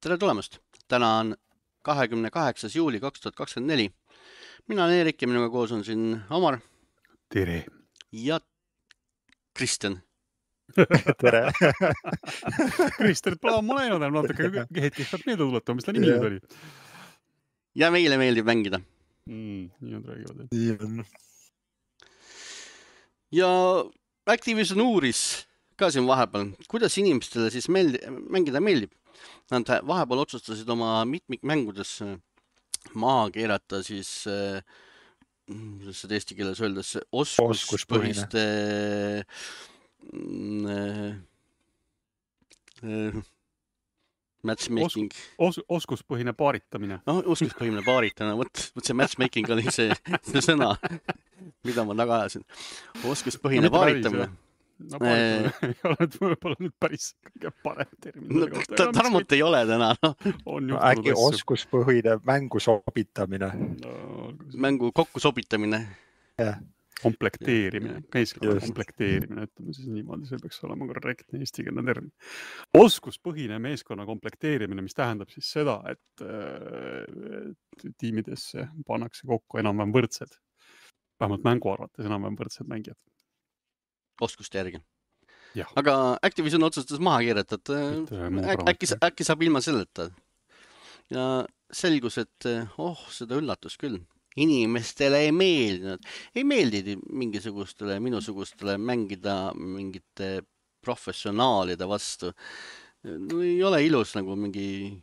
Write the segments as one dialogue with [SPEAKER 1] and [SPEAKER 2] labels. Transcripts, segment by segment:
[SPEAKER 1] Tere tulemast! Täna on 28. juuli 2024. Mina olen Eerik ja minuga koos on siin Omar
[SPEAKER 2] Tere.
[SPEAKER 1] ja Kristjan.
[SPEAKER 3] Tere.
[SPEAKER 2] Kristjan, plaan ma läinud, natuke hetkeks pead meelde tuletama, mis ta nimi nüüd oli.
[SPEAKER 1] Ja meile meeldib mängida.
[SPEAKER 2] Nii on räägivad.
[SPEAKER 3] Nii on.
[SPEAKER 1] Ja Activision uuris ka siin vahepeal, kuidas inimestele siis mängida meeldib. Nad vahepeal otsustasid oma mitmikmängudes maha keerata siis, kuidas seda eesti keeles öeldes, oskuspõhiste matchmaking.
[SPEAKER 2] Oskuspõhine paaritamine.
[SPEAKER 1] Oskuspõhine paaritamine, võt see matchmaking oli see sõna, mida ma taga ajasin. Oskuspõhine paaritamine.
[SPEAKER 2] No paaritamine ei ole võib-olla nüüd päris kõige parem termin.
[SPEAKER 1] Tarmot ei ole täna.
[SPEAKER 3] Äkki oskuspõhine mängu sobitamine.
[SPEAKER 1] Mängu kokku sobitamine.
[SPEAKER 2] Komplekteerimine, meeskonna komplekteerimine, ütleme siis niimoodi, see peaks olema korrektne eestikeelne termin. Oskuspõhine meeskonna komplekteerimine, mis tähendab siis seda, et tiimidesse pannakse kokku enam-vähem võrdsed, vähemalt mängu arvates enam-vähem võrdsed mängijad.
[SPEAKER 1] Oskuste järgi.
[SPEAKER 2] Ja.
[SPEAKER 1] Aga Activision otsustas maha keerata, et äkki saab ilma selleta. Ja selgus, et seda üllatus küll. Inimestele ei meeldinud. Ei meeldidi minusugustele mängida mingite professionaalide vastu. Ei ole ilus nagu mingi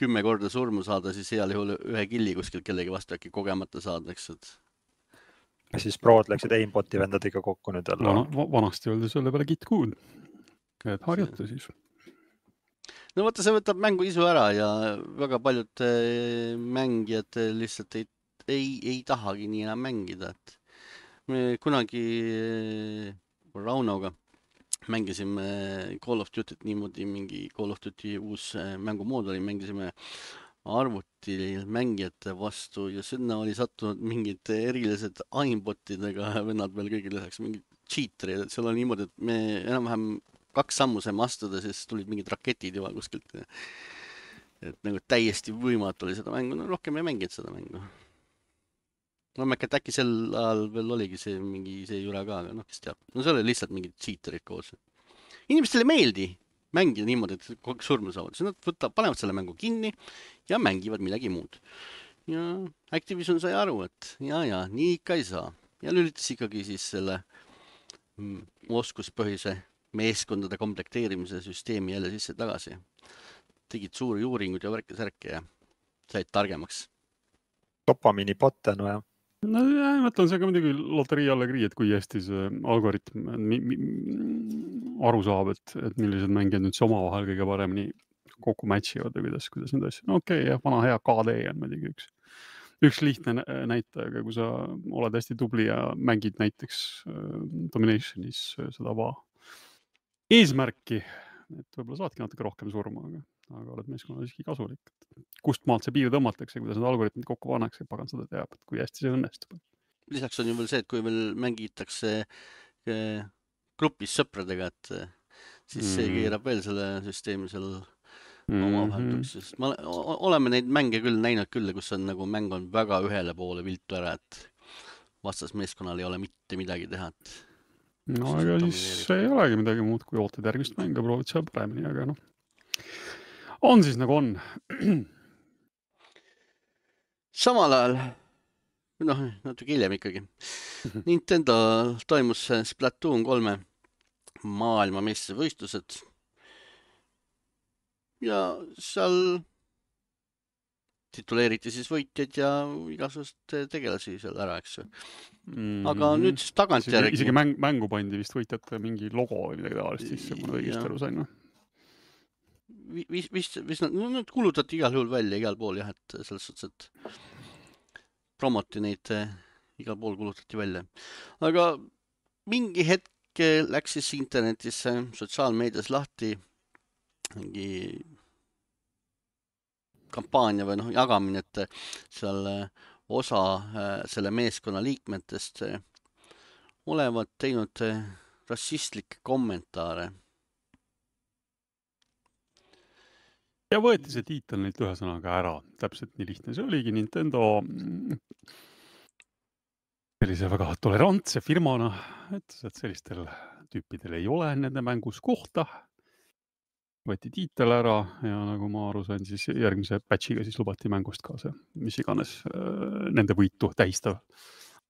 [SPEAKER 1] 10 korda surmu saada, siis heal juhul ühe killi kuskilt kellegi vastu äkki kogemata saadaks.
[SPEAKER 3] Ja siis prood läksid aimboti vendad ikka kokku nüüd jälle.
[SPEAKER 2] Vanasti öeldi selle peale get good. Et harjata siis.
[SPEAKER 1] No vaata, see võtab mängu isu ära ja väga paljud mängijad lihtsalt ei tahagi nii enam mängida. Me kunagi Raunoga mängisime Call of Duty't niimoodi, mingi Call of Duty uus mängumood oli, mängisime arvuti mängijate vastu ja sinna oli sattunud mingid erilised aimbotidega vennad veel kõigil lisaks, mingid cheaterid, et seal oli niimoodi, et me enam-vähem 2 sammu saime astuda, siis tulid mingid raketid juba kuskilt. Et nagu täiesti võimatu oli seda mängu, no rohkem ei mänginud seda mängu. No äkki sel ajal veel oligi see jura ka, aga kes teab. No see oli lihtsalt mingid cheaterid koos. Inimestele ei meeldi mängida niimoodi, et kogu surma saavad. Siis nad panevad selle mängu kinni ja mängivad midagi muud. Ja Activision sai aru, et ja, nii ikka ei saa. Ja lülitas ikkagi siis selle oskuspõhise meeskondade komplekteerimise süsteemi jälle sisse tagasi. Tegid suuri uuringud ja värke ja said targemaks.
[SPEAKER 3] Dopamini botte, no jah.
[SPEAKER 2] No jah, mõtlen, see ka muidugi loterii allegrii, et kui hästi see algoritm aru saab, et millised mängijad nüüd see omavahel kõige paremini kokku matchivad või kuidas need asjad. No okei, jah, vana hea KD on muidugi üks lihtne näitaja, aga kui sa oled hästi tubli ja mängid näiteks Dominationis seda eesmärki, et võib-olla saadki natuke rohkem surma, aga oled meeskonnal siiski kasulik. Kust maalt see piir tõmmatakse, kuidas need algoritmid kokku pannakse, pagan seda teab, et kui hästi see õnnestub.
[SPEAKER 1] Lisaks on ju veel see, et kui veel mängitakse grupis sõpradega, et siis see keerab veel selle süsteemi seal omavahel. Oleme neid mänge küll näinud küll, kus on nagu mäng on väga ühele poole viltu ära, et vastasmeeskonnal ei ole mitte midagi teha.
[SPEAKER 2] No aga siis ei olegi midagi muud, kui ootad järgmist mänga, proovid seal paremini, aga noh. On siis nagu on.
[SPEAKER 1] Samal ajal, natuke hiljem ikkagi, Nintendo toimus Splatoon 3 maailmameistrivõistlused ja seal tituleeriti siis võitjad ja igasugust tegelasi seal ära, eks. Aga nüüd siis tagantjärgi.
[SPEAKER 2] Isegi mängu pandi vist võitjate mingi logo või midagi tavalist sisse, kui õigesti aru sain.
[SPEAKER 1] Vist nad kulutati igal juhul välja igal pool, jah, et selles suhtes, et promoti neid igal pool kulutati välja. Aga mingi hetk läks siis internetisse, sotsiaalmeedias lahti mingi kampaania või jagamine, et seal osa selle meeskonna liikmetest olevat teinud rassistlikke kommentaare
[SPEAKER 2] ja võeti see tiitel neilt ühesõnaga ära, täpselt nii lihtne see oligi. Nintendo sellise väga tolerantse firmana ütles, et sellistel tüüpidel ei ole nende mängus kohta. Võeti tiitel ära ja nagu ma aru sain, siis järgmise patchiga siis lubati mängust ka see, mis iganes nende võitu tähistav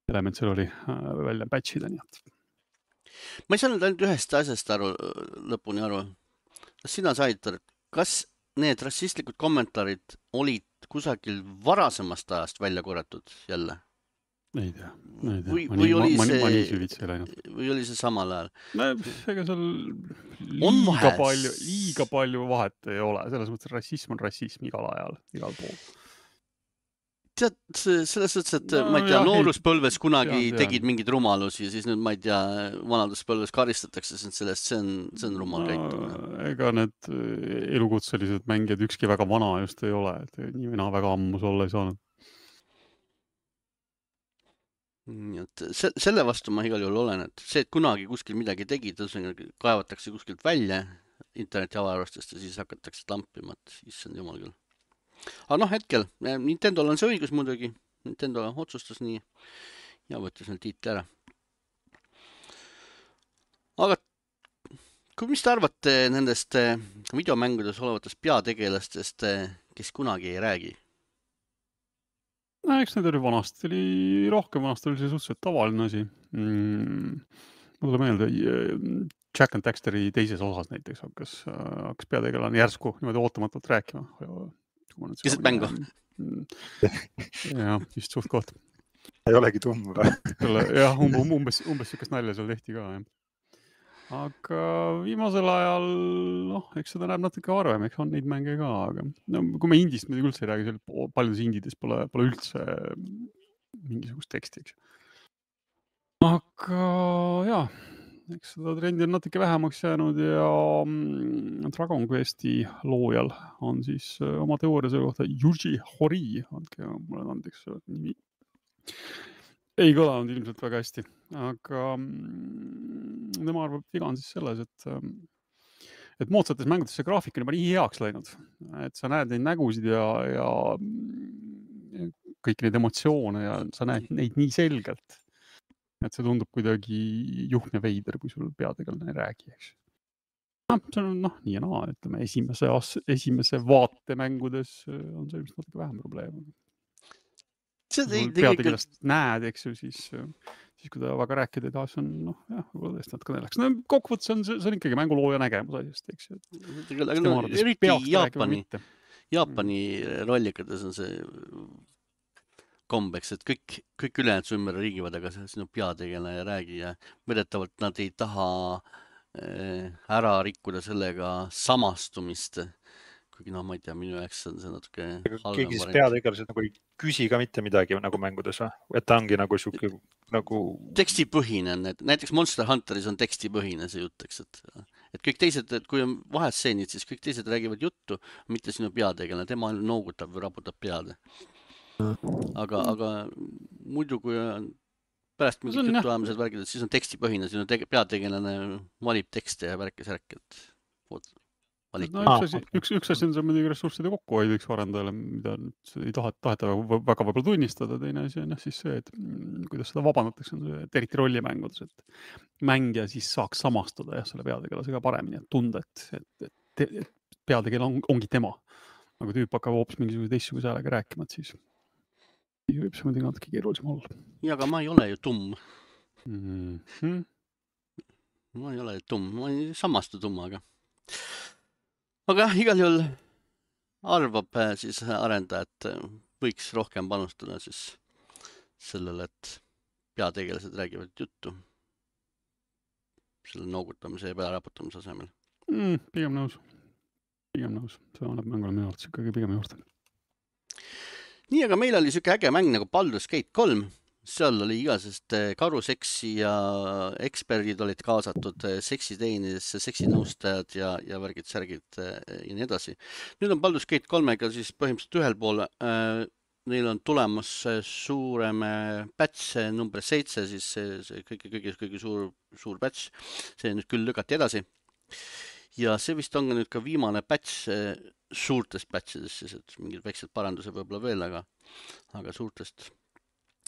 [SPEAKER 2] element seal oli välja patchida, nii et.
[SPEAKER 1] Ma ei saanud ainult ühest asjast lõpuni aru. Kas sina said, kas need rassistlikud kommentaarid olid kusagil varasemast ajast välja korratud jälle?
[SPEAKER 2] Ei tea.
[SPEAKER 1] Ma nii
[SPEAKER 2] süvitsi ei läinud.
[SPEAKER 1] Või oli see samal ajal?
[SPEAKER 2] Ega seal liiga palju vahet ei ole. Selles mõttes rassism on rassism igal ajal, igal pool.
[SPEAKER 1] Tead, selles mõttes, et ma ei tea, nooruspõlves kunagi tegid mingid rumalusi ja siis nüüd, ma ei tea, vanaduspõlves karistatakse sellest, see on rumal käitumine.
[SPEAKER 2] Ega need elukutselised mängijad ükski väga vana just ei ole, et nii mina väga ammus olla ei saanud.
[SPEAKER 1] Nii et selle vastu ma igal juhul olen, et see, et kunagi kuskil midagi tegid, kaevatakse kuskilt välja interneti avarustest ja siis hakatakse tampima, et issand jumal küll. Aga hetkel, Nintendol on see õigus muidugi, Nintendo otsustas nii ja võttis need tiitli ära. Aga mis te arvate nendest videomängudes olevatest peategelastest, kes kunagi ei räägi?
[SPEAKER 2] Eks need oli vanasti, vanasti oli see suhteliselt tavaline asi. Ma tule meelde, Jack and Daxteri teises osas näiteks hakkas peategelane järsku niimoodi ootamatult rääkima.
[SPEAKER 1] Keset mängu?
[SPEAKER 2] Jah, just suht koht.
[SPEAKER 3] Ei olegi tumm või?
[SPEAKER 2] Jah, umbes sükest nalja seal tehti ka, jah. Aga viimasel ajal, eks seda näeb natuke harvem, eks on neid mänge ka, aga kui me indist muidugi üldse ei räägi, paljudes indides pole üldse mingisugust teksti, eks. Aga jah, eks seda trendi on natuke vähemaks jäänud ja Dragon Questi loojal on siis oma teooria selle kohta Yuji Horii, andke mulle andeks nimi. Ei kõlanud ilmselt väga hästi, aga tema arvab, viga on siis selles, et moodsates mängudes see graafik on juba nii heaks läinud, et sa näed neid nägusid ja kõik neid emotsioone ja sa näed neid nii selgelt, et see tundub kuidagi juhm ja veider, kui sul peategelane ei räägi, eks. See on nii ja naa, ütleme, esimese vaate mängudes on see vist natuke vähem probleem. Peategelast näed, eks ju, siis kui ta väga rääkida ei taha, see on, võib-olla tõesti natuke nälaks. Kokkuvõttes on see ikkagi mängulooja nägemus asjast, eks ju.
[SPEAKER 1] Eriti Jaapani rollikades on see kombeks, et kõik ülejäänud su ümber riigivad, aga sinu peategelane ei räägi ja vedetavalt nad ei taha ära rikkuda sellega samastumist. Kuigi ma ei tea, minu jaoks on see natuke halvem.
[SPEAKER 3] Keegi siis peategelased nagu ei küsi ka mitte midagi nagu mängudes või? Et ta ongi nagu siuke nagu...
[SPEAKER 1] Tekstipõhine on, näiteks Monster Hunteris on tekstipõhine see jutt, eks, et kõik teised, et kui on vahestseenid, siis kõik teised räägivad juttu, mitte sinu peategelane, tema noogutab või raputab pead. Aga muidu, kui on pärast mingid jutuajamised värgid, siis on tekstipõhine, sinu peategelane valib tekste ja värkis, et
[SPEAKER 2] üks asi on see muidugi ressursside kokkuhoideks arendajale, mida ei taheta väga võib-olla tunnistada. Teine asi on siis see, et kuidas seda vabandatakse, on see eriti rollimängudes, et mängija siis saaks samastuda selle peategelasega paremini, et tunda, et peategelane ongi tema. Aga tüüp hakkab hoopis mingisuguse teistsuguse häälega rääkima, et siis võib see muidugi natuke keerulisem olla.
[SPEAKER 1] Ja, aga ma ei ole ju tumm. Ma ei ole tumm, ma ei samastu tummaga. Aga igal juhul arvab siis arendaja, et võiks rohkem panustada siis sellele, et peategelased räägivad juttu selle noogutamise ja pearaputamise asemel.
[SPEAKER 2] Pigem nõus. See annab mängule minu arvates ikkagi pigem juurde.
[SPEAKER 1] Nii, aga meil oli siuke äge mäng nagu Baldur's Gate 3. Seal oli igasest karuseksi ja eksperdid olid kaasatud seksiteenidesse, seksinõustajad ja värgid-särgid ja nii edasi. Nüüd on Baldur's Gate 3-ga siis põhimõtteliselt ühel pool. Neil on tulemas suurem patch, number 7, siis see kõige suur patch. See nüüd küll lükati edasi. ja see vist on ka nüüd ka viimane patch suurtest patchidest, siis et mingid väiksed parandused võib-olla veel, aga suurtest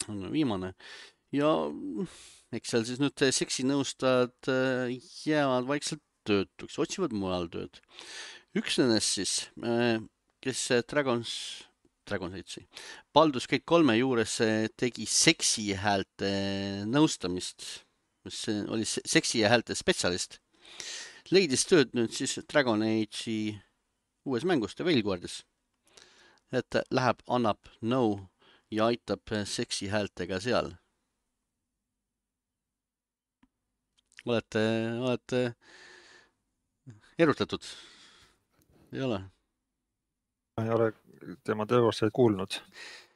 [SPEAKER 1] on viimane. Ja eks seal siis nüüd seksinõustajad jäävad vaikselt töötuks, otsivad mujal tööd. Üks nendest siis, kes Baldur's Gate 3 juures tegi seksi häälte nõustamist, mis oli seksi häälte spetsialist, leidis tööd nüüd siis Dragon Age'i uues mängus The Veilguardis, et läheb, annab nõu ja aitab seksi häältega seal. Olete erutatud? Ei ole?
[SPEAKER 3] Ma ei ole tema töövastajaid kuulnud.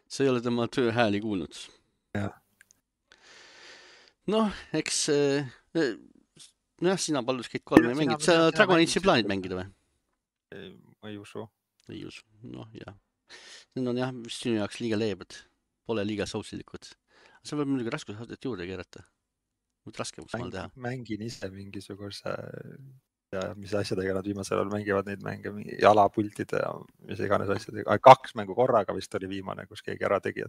[SPEAKER 1] Sa ei ole tema tööhääli kuulnud?
[SPEAKER 3] Jah.
[SPEAKER 1] Noh, eks sina Baldur's Gate 3 ei mängid. Sa Dragon Age'i plaanid mängida või?
[SPEAKER 3] Ma ei usu.
[SPEAKER 1] Ei usu, noh jah. Need on jah sinu jaoks liiga leebed. Pole liiga sousilikud. Sa võib muidugi raskusastet juurde keerata. Võid raskemus maal teha.
[SPEAKER 3] Mängin ise mingisuguse ja mis asjadega nad viimasel ajal mängivad neid mänge, jalapultide ja mis iganes asjadega. 2 mängu korraga vist oli viimane, kus keegi ära tegi.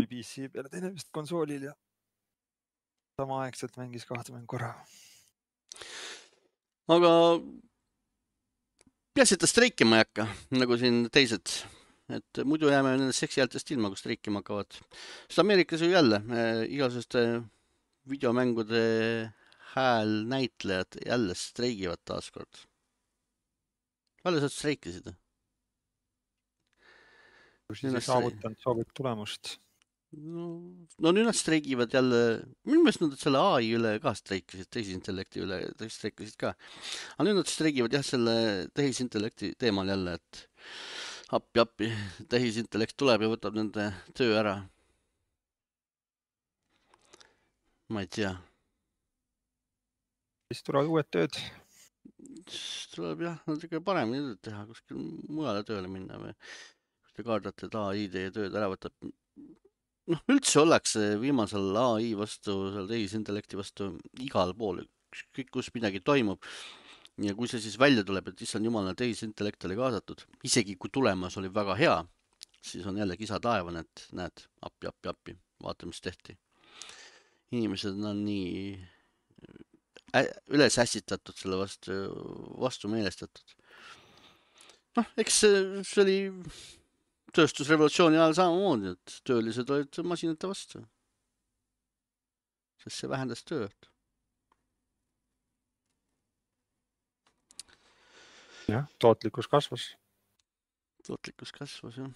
[SPEAKER 3] PC peale teine vist konsoolil ja samaaegselt mängis 2 mängu korraga.
[SPEAKER 1] Aga peaasi, et ta streikima ei hakka, nagu siin teised. Et muidu jääme nendest seksihäältest ilma, kus streikima hakkavad. Sest Ameerikas ju jälle igasugust videomängude häälnäitlejad jälle streigivad taaskord. Palju sa streikisid?
[SPEAKER 3] Kui siis ei saavutanud soovit tulemust.
[SPEAKER 1] No nüüd nad streigivad jälle, minu meelest nad selle AI üle ka streikisid, tehisintellekti üle streikisid ka. Aga nüüd nad streigivad jah selle tehisintellekti teemal jälle, et appi, tehisintellekt tuleb ja võtab nende töö ära. Ma ei tea.
[SPEAKER 3] Siis tulevad uued tööd.
[SPEAKER 1] Tuleb jah, natuke paremini teha, kuskil mujale tööle minna või kui te kardate, et AI teie tööd ära võtab. Noh, üldse ollakse viimasel AI vastu, seal tehisintellekti vastu igal pool, kõik kus midagi toimub. Ja kui see siis välja tuleb, et issand jumal, tehisintellekt oli kaasatud, isegi kui tulemas oli väga hea, siis on jälle kisa taevan, et näed, appi, vaata, mis tehti. Inimesed on nii üles ässitatud selle vastu meelestatud. Noh, eks see oli tööstusrevolutsiooni ajal samamoodi, et töölised olid masinate vastu. Sest see vähendas tööd.
[SPEAKER 3] Jah, tootlikkus kasvas.
[SPEAKER 1] Jah.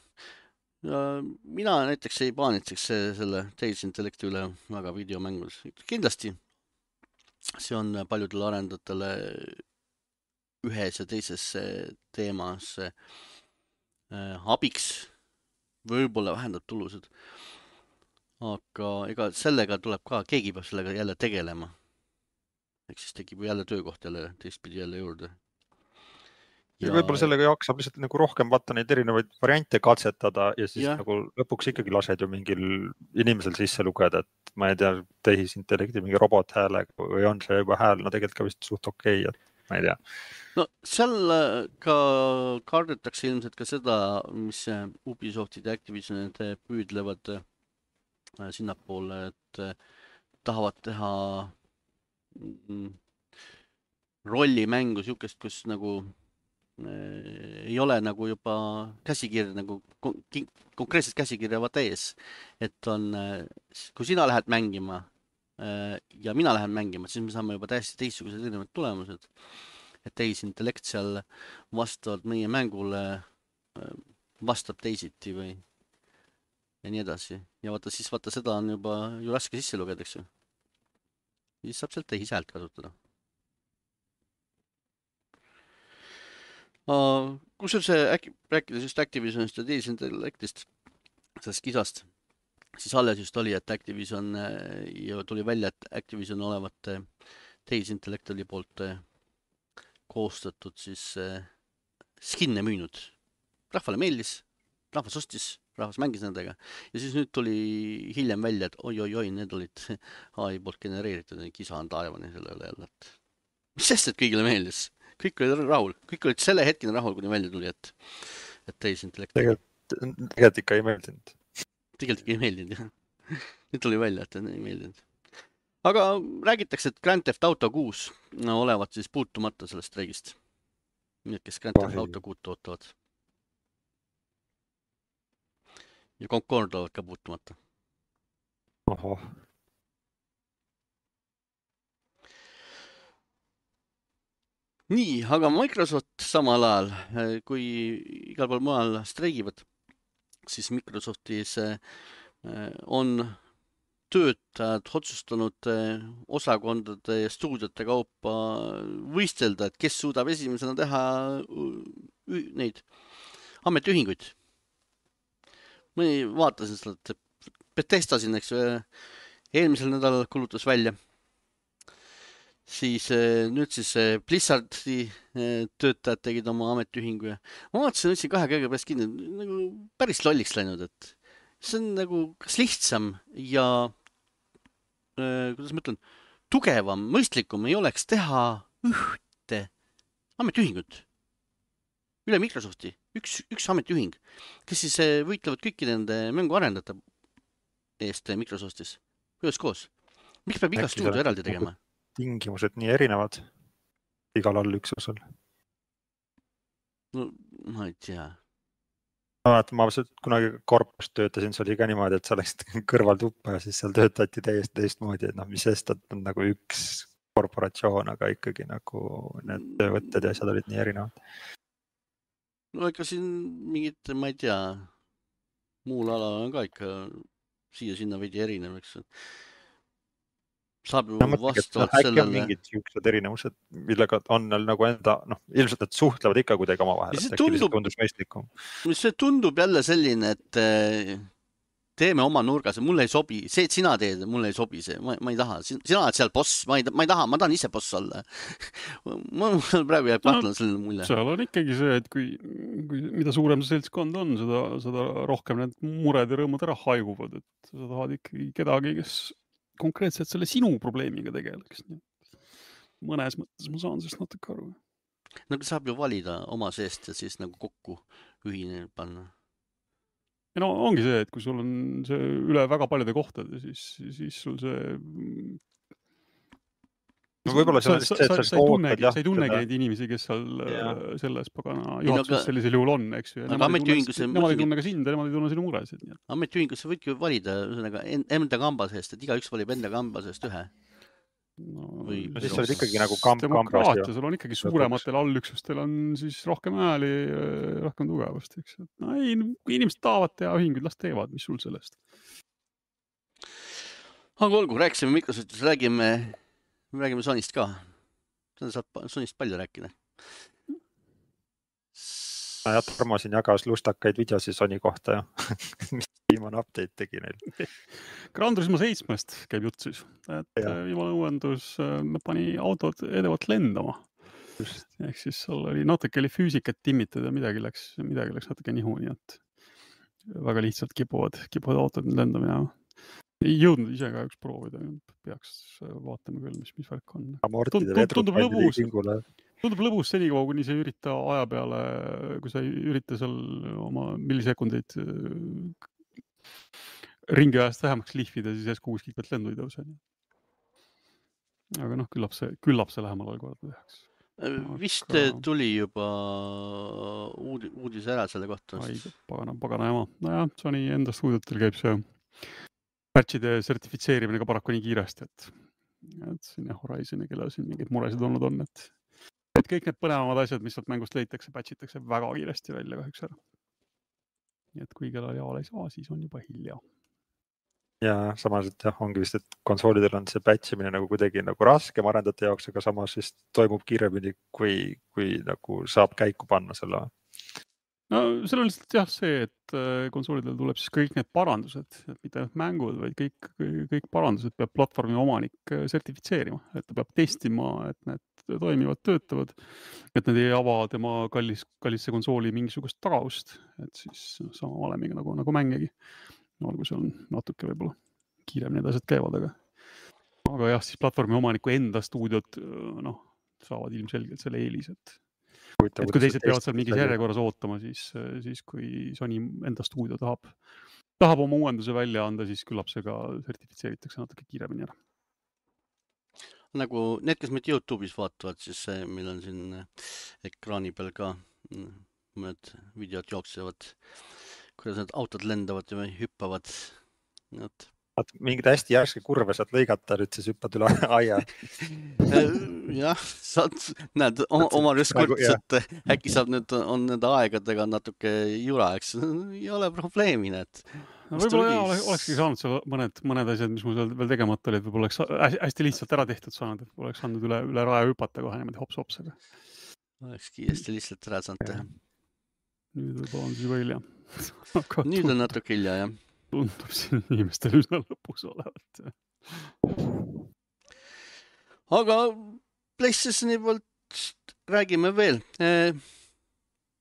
[SPEAKER 1] Ja mina näiteks ei paanitseks selle tehisintellekti üle väga videomängus. Kindlasti see on paljudele arendajatele ühes ja teises teemas abiks, võib-olla vähendab tulusid. Aga ega sellega tuleb ka, keegi peab sellega jälle tegelema. Ehk siis tekib jälle töökoht jälle teistpidi jälle juurde.
[SPEAKER 3] Ja võib-olla sellega jaksab lihtsalt nagu rohkem vaata neid erinevaid variante katsetada ja siis nagu lõpuks ikkagi lased ju mingil inimesel sisse lugeda, et ma ei tea, tehisintellekti mingi robothäälega või on see juba hääl, no tegelikult ka vist suht okei, et ma ei tea.
[SPEAKER 1] No seal ka kardetakse ilmselt ka seda, mis Ubisoftid ja Activisionid püüdlevad sinnapoole, et tahavad teha rollimängu siukest, kus nagu ei ole nagu juba käsikirja, nagu konkreetselt käsikirja vaata ees, et on, kui sina lähed mängima ja mina lähen mängima, siis me saame juba täiesti teistsugused erinevad tulemused, et tehisintellekt seal vastavalt meie mängule vastab teisiti või ja nii edasi. Ja vaata siis seda on juba ju raske sisse lugeda, eks ju. Siis saab sealt tehishäält kasutada. Kus on see, rääkides just Activisionist ja tehisintellektist, sellest kisast, siis alles just oli, et Activision ja tuli välja, et Activision olevat tehisintellekti poolt koostatud siis skinne müünud. Rahvale meeldis, rahvas ostis, rahvas mängis nendega ja siis nüüd tuli hiljem välja, et oi, need olid AI poolt genereeritud ja kisa on taevani selle üle jälle, et Sest, et kõigile meeldis. Kõik olid rahul. Kõik olid selle hetkeni rahul, kuni välja tuli, et tehisintellekt.
[SPEAKER 3] Tegelikult ikka ei meeldinud.
[SPEAKER 1] Tegelikult ikka ei meeldinud, jah. Nüüd tuli välja, et ei meeldinud. Aga räägitakse, et Grand Theft Auto 6 olevat siis puutumata sellest streigist. Need, kes Grand Theft Auto 6 tootavad. Ja Concord olevat ka puutumata.
[SPEAKER 3] Ohoh.
[SPEAKER 1] Nii, aga Microsoft samal ajal, kui igal pool mujal streigivad, siis Microsoftis on töötajad otsustanud osakondade ja stuudiote kaupa võistelda, et kes suudab esimesena teha neid ametiühinguid. Ma vaatasin seda, et Bethesda siin, eks eelmisel nädalal kulutas välja. Siis nüüd siis Blizzardi töötajad tegid oma ametiühingu ja ma vaatasin, ütlesin kahe käega pärast kinni, nagu päris lolliks läinud, et see on nagu kas lihtsam ja kuidas ma ütlen, tugevam, mõistlikum ei oleks teha ühte ametiühingut üle Microsofti, üks ametiühing, kes siis võitlevad kõiki nende mänguarendajate eest Microsoftis, üheskoos. Miks peab iga stuudio eraldi tegema?
[SPEAKER 3] Tingimused nii erinevad igal allüksusel.
[SPEAKER 1] No, ma ei tea.
[SPEAKER 3] Ma kunagi korpus töötasin, see oli ka niimoodi, et sa läksid kõrval tuppa ja siis seal töötati täiesti teistmoodi, et mis sest, et on nagu üks korporatsioon, aga ikkagi nagu need töövõtted ja asjad olid nii erinevad.
[SPEAKER 1] No ikka siin mingid, ma ei tea, muul alal on ka ikka siia-sinna veidi erinev, eks. Saab ju vastavalt sellele.
[SPEAKER 3] On mingid siuksed erinevused, millega on nagu enda, ilmselt nad suhtlevad ikka kuidagi omavahel, et äkki lihtsalt tundus mõistlikum.
[SPEAKER 1] See tundub jälle selline, et teeme oma nurgas, mulle ei sobi, see, et sina teed, mulle ei sobi see, ma ei taha, sina oled seal boss, ma ei taha, ma tahan ise boss olla. Ma praegu jääb kahtlane selline mulje.
[SPEAKER 2] Seal on ikkagi see, et kui mida suurem see seltskond on, seda rohkem need mured ja rõõmud ära haiguvad, et sa tahad ikkagi kedagi, kes konkreetselt selle sinu probleemiga tegeleks. Mõnes mõttes ma saan sellest natuke aru.
[SPEAKER 1] Nagu saab ju valida oma seest ja siis nagu kokku ühine panna.
[SPEAKER 2] Ja no ongi see, et kui sul on see üle väga paljude kohtade, siis sul see...
[SPEAKER 3] No võib-olla see on
[SPEAKER 2] sa ei tunnegi neid inimesi, kes seal selles pagana juhatuses sellisel juhul on, eks ju. Nemad ei tunne ka sind ja nemad ei tunne sinu muresid.
[SPEAKER 1] Ametiühingusse võidki valida enda kamba seest, et igaüks valib enda kamba seest ühe.
[SPEAKER 3] Siis olid ikkagi nagu
[SPEAKER 2] demokraatia, sul on ikkagi suurematel allüksustel on siis rohkem hääli, rohkem tugevust, eks. No ei, kui inimesed tahavad teha ühinguid, las teevad, mis sul sellest.
[SPEAKER 1] Aga olgu, rääkisime Microsoftist, räägime Sonyst ka. Seda saab Sonyst palju rääkida.
[SPEAKER 3] Ja Tarmo siin jagas lustakaid videosi Sony kohta ja mis viimane update tegi neil.
[SPEAKER 2] Gran Turismo 7-st käib jutt siis, et viimane uuendus pani autod edevalt lendama. Ehk siis seal oli natuke füüsikat timmitud ja midagi läks natuke nihu, nii et väga lihtsalt kipuvad autod lendamine. Ei jõudnud ise ka üks proovida, peaks vaatama küll, mis värk on. Tundub lõbus senikaua, kuni sa ei ürita aja peale, kui sa ei ürita seal oma millisekundeid ringi ajast vähemaks lihvida, siis järsku kuskilt pealt lendu ei tõuse. Aga küllap see lähemal algkorda tehaks.
[SPEAKER 1] Vist tuli juba uudis ära selle kohta.
[SPEAKER 2] Pagana jama. Nojah, Sony enda stuudiotel käib see patchide sertifitseerimine ka paraku nii kiiresti, et siin Horizoni, kellel siin mingeid muresid olnud on, et kõik need põnevamad asjad, mis sealt mängust leitakse, patchitakse väga kiiresti välja kahjuks ära. Nii et kui kellel jaal ei saa, siis on juba hilja.
[SPEAKER 3] Ja samas, et ongi vist, et konsoolidel on see patchimine nagu kuidagi nagu raskem arendajate jaoks, aga samas siis toimub kiiremini, kui nagu saab käiku panna selle.
[SPEAKER 2] No seal on lihtsalt see, et konsoolidel tuleb siis kõik need parandused, et mitte mängud, vaid kõik parandused peab platvormi omanik sertifitseerima, et ta peab testima, et need toimivad, töötavad, et need ei ava tema kallisse konsooli mingisugust tagaust, et siis sama valemiga nagu mängegi. Olgu see on natuke võib-olla kiiremini need asjad käivad, aga jah, siis platvormi omaniku enda stuudiod saavad ilmselgelt selle eelis, et
[SPEAKER 3] Huvitav,
[SPEAKER 2] kui
[SPEAKER 3] kuidas
[SPEAKER 2] teised peavad seal mingis järjekorras ootama, siis kui Sony enda stuudio tahab oma uuenduse välja anda, siis küllap see ka sertifitseeritakse natuke kiiremini ära.
[SPEAKER 1] Nagu need, kes meid YouTube'is vaatavad, siis meil on siin ekraani peal ka mõned videod jooksevad, kuidas need autod lendavad ja hüppavad.
[SPEAKER 3] Mingid hästi järske kurve saad lõigata, nüüd siis hüppad üle aia.
[SPEAKER 1] Jah, näed, oma reskurts, et äkki saab nüüd, on nende aegadega natuke jura, eks ei ole probleemi, need.
[SPEAKER 2] Võib-olla olekski saanud seal mõned asjad, mis mul veel tegemata olid, võib-olla oleks hästi lihtsalt ära tehtud saanud, et oleks saanud üle raja hüpata kohe niimoodi hops-hopsega.
[SPEAKER 1] Oleks kiiresti lihtsalt ära saanud teha.
[SPEAKER 2] Nüüd võib-olla on siis juba hilja.
[SPEAKER 1] Nüüd on natuke hilja, jah.
[SPEAKER 2] Tundub siin inimestel üsna lõpus olevat.
[SPEAKER 1] Aga PlayStationi poolt räägime veel.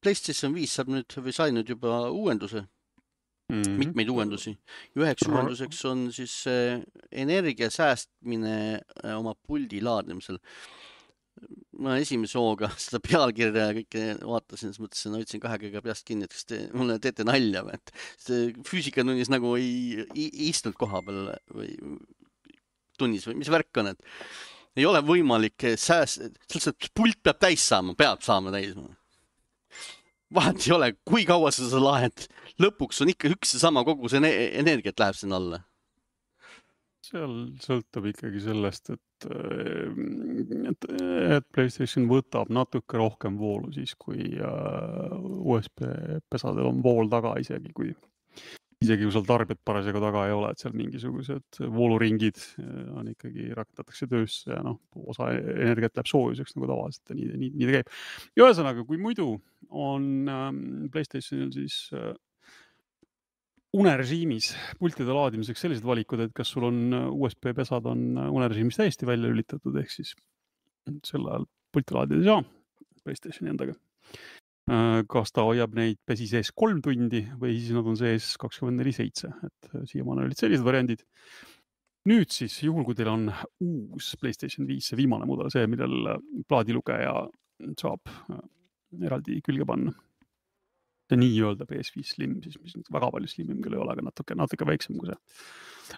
[SPEAKER 1] PlayStation 5 saab nüüd või sai nüüd juba uuenduse. Mitmeid uuendusi. Üheks uuenduseks on siis energia säästmine oma puldi laadimisel. Ma esimese hooga seda pealkirja kõike vaatasin, siis mõtlesin, hoidsin 2 käega peast kinni, et kas te mulle teete nalja või, et füüsikatunnis nagu ei istunud koha peal või tunnis või mis värk on, et ei ole võimalik lihtsalt pult peab täis saama, täis. Vahet ei ole, kui kaua sa laed, lõpuks on ikka üks ja sama kogu see energiat läheb sinna alla.
[SPEAKER 2] Seal sõltub ikkagi sellest, et PlayStation võtab natuke rohkem voolu siis, kui USB-pesadel on vool taga isegi kui sul tarbijat parasjagu taga ei ole, et seal mingisugused vooluringid on ikkagi rakendatakse töösse ja osa energiat läheb soojuseks nagu tavaliselt ja nii ta käib. Ja ühesõnaga, kui muidu on PlayStationil siis unerežiimis pultide laadimiseks sellised valikud, et kas sul on USB-pesad on unerežiimis täiesti välja lülitatud, ehk siis sel ajal pulti laadida ei saa PlayStationi endaga. Kas ta hoiab neid pesi sees 3 tundi või siis nad on sees 24/7, et siiamaani olid sellised variandid. Nüüd siis, juhul kui teil on uus PlayStation 5, see viimane mudel, see, millel plaadilugeja saab eraldi külge panna. See nii-öelda PS5 Slim, siis mis väga palju slimim küll ei ole, aga natuke väiksem kui see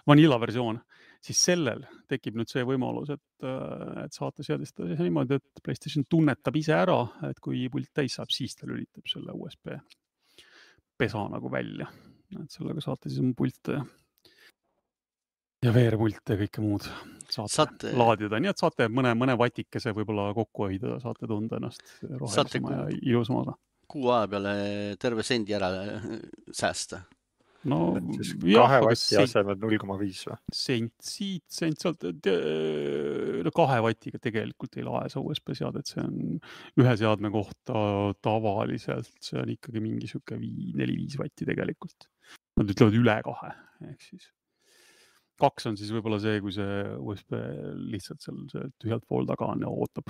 [SPEAKER 2] vanilla versioon, siis sellel tekib nüüd see võimalus, et saate seadistada niimoodi, et PlayStation tunnetab ise ära, et kui pult täis saab, siis ta lülitab selle USB pesa nagu välja. Et sellega saate siis oma pilte ja veerpilte ja kõike muud saate laadida. Nii et saate mõne vatikese võib-olla kokku hoida, saate tunda ennast rohelisema ja ilusamaga.
[SPEAKER 1] Kuu aja peale terve sendi ära säästa.
[SPEAKER 2] No,
[SPEAKER 3] 2 vatti asemel 0,5 või?
[SPEAKER 2] Sent sealt 2 vatiga tegelikult ei lae see USB seadet, see on ühe seadme kohta tavaliselt, see on ikkagi mingi 4-5 vatti tegelikult. Nad ütlevad üle 2, ehk siis 2 on siis võib-olla see, kui see USB lihtsalt seal tühjalt pool taga on ja ootab,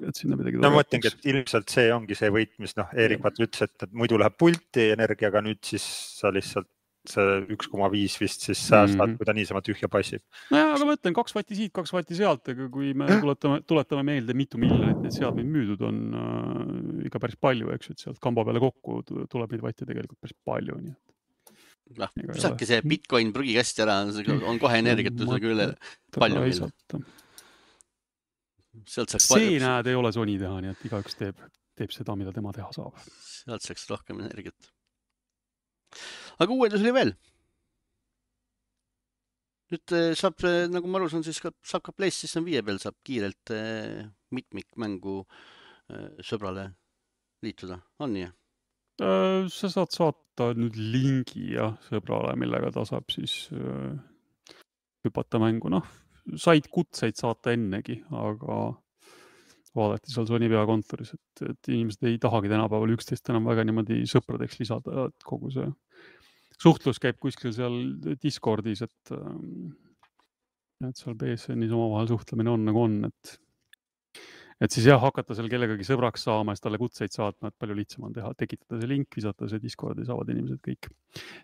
[SPEAKER 2] et sinna midagi
[SPEAKER 3] ma mõtlengi, et ilmselt see ongi see võit, mis Erik ütles, et muidu läheb pulti energiaga, nüüd siis sa lihtsalt see 1,5 vist siis säästad, kui ta niisama tühja passib.
[SPEAKER 2] Aga ma ütlen, 2 vatti siit, 2 vatti sealt, aga kui me tuletame meelde, mitu miljonit need seadmeid müüdud on ikka päris palju, eks, et sealt kamba peale kokku tuleb neid vatte tegelikult päris palju, nii et
[SPEAKER 1] Saabki see Bitcoin prügikasti ära, on kohe energiat üle palju.
[SPEAKER 2] See näed ei ole Sony teha, nii et igaüks teeb seda, mida tema teha saab.
[SPEAKER 1] Sealt saaks rohkem energiat. Aga uuendus oli veel. Nüüd saab, nagu ma aru saan, siis saab ka PlayStation 5 peal saab kiirelt mitmikmängu sõbrale liituda. On nii?
[SPEAKER 2] Sa saad saata nüüd lingi sõbrale, millega ta saab siis hüpata mängu. Said kutseid saata ennegi, aga vaadati seal Sony peakontoris, et inimesed ei tahagi tänapäeval 11 enam väga niimoodi sõpradeks lisada, et kogu see suhtlus käib kuskil seal Discordis, et seal BSN-is omavahel suhtlemine on nagu on, et siis hakata seal kellegagi sõbraks saama ja talle kutseid saatma, et palju lihtsam on teha, tekitada see link, visata see Discordi, saavad inimesed kõik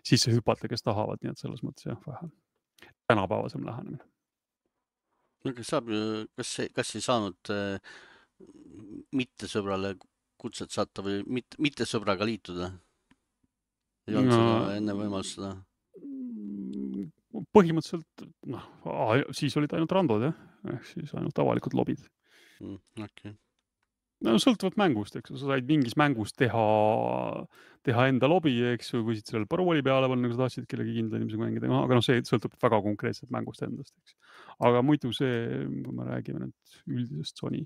[SPEAKER 2] sisse hüpata, kes tahavad, nii et selles mõttes vähe tänapäevasem lähenemine.
[SPEAKER 1] Kas ei saanud mitte sõbrale kutset saata või mitte sõbraga liituda? Ei olnud seda enne võimalust seda?
[SPEAKER 2] Põhimõtteliselt, siis olid ainult randod, jah. Ehk siis ainult avalikud lobid.
[SPEAKER 1] Okay.
[SPEAKER 2] No sõltuvalt mängust, eks. Sa said mingis mängus teha enda lobi, eks. Või võisid sellel parooli peale panna, kui sa tahtsid kellegi kindla inimesega mängida. Aga see sõltub väga konkreetselt mängust endast, eks. Aga muidu see, kui me räägime nüüd üldisest Sony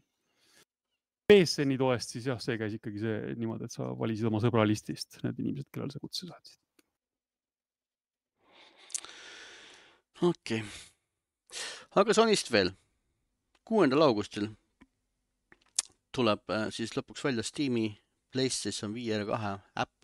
[SPEAKER 2] PSN-i toest, siis jah, see käis ikkagi see niimoodi, et sa valisid oma sõbralistist need inimesed, kellel sa kutse saatsid.
[SPEAKER 1] Okei. Aga Sonyst veel. 6. augustil tuleb siis lõpuks välja Steam'i PlayStation VR 2 äpp.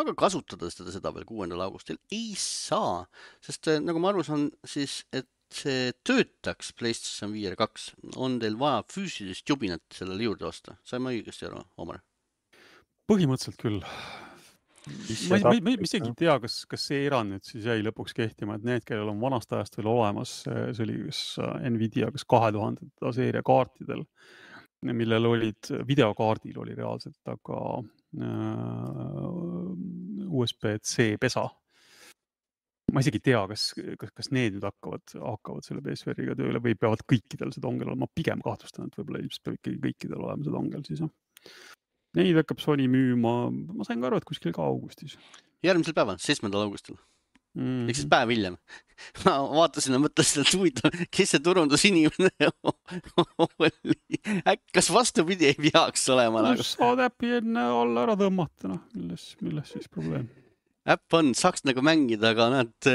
[SPEAKER 1] Aga kasutada seda veel 6. augustil ei saa, sest nagu ma aru saan, siis, et see töötaks PlayStation VR 2, on teil vaja füüsilist jubinat sellele juurde osta. Sain ma õigesti aru, Omar?
[SPEAKER 2] Põhimõtteliselt küll. Ma isegi ei tea, kas see erand nüüd siis jäi lõpuks kehtima, et need, kellel on vanast ajast veel olemas, see oli Nvidia 2000 seeria kaartidel, millel olid, videokaardil oli reaalselt, aga USB-C pesa. Ma isegi tea, kas need nüüd hakkavad selle PSVR-iga tööle või peavad kõikidel see dongel olema. Ma pigem kahtlustan, et võib-olla ilmselt peab ikkagi kõikidel olema see dongel siis. Neid hakkab Sony müüma, ma sain ka aru, et kuskil ka augustis.
[SPEAKER 1] Järgmisel päeval, 7. augustil. Ehk siis päev hiljem. Ma vaatasin ja mõtlesin, et huvitav, kes see turundusinimene oli. Kas vastupidi ei peaks olema?
[SPEAKER 2] Saad äppi enne alla ära tõmmata, milles siis probleem?
[SPEAKER 1] Äpp on, saaks nagu mängida, aga näed,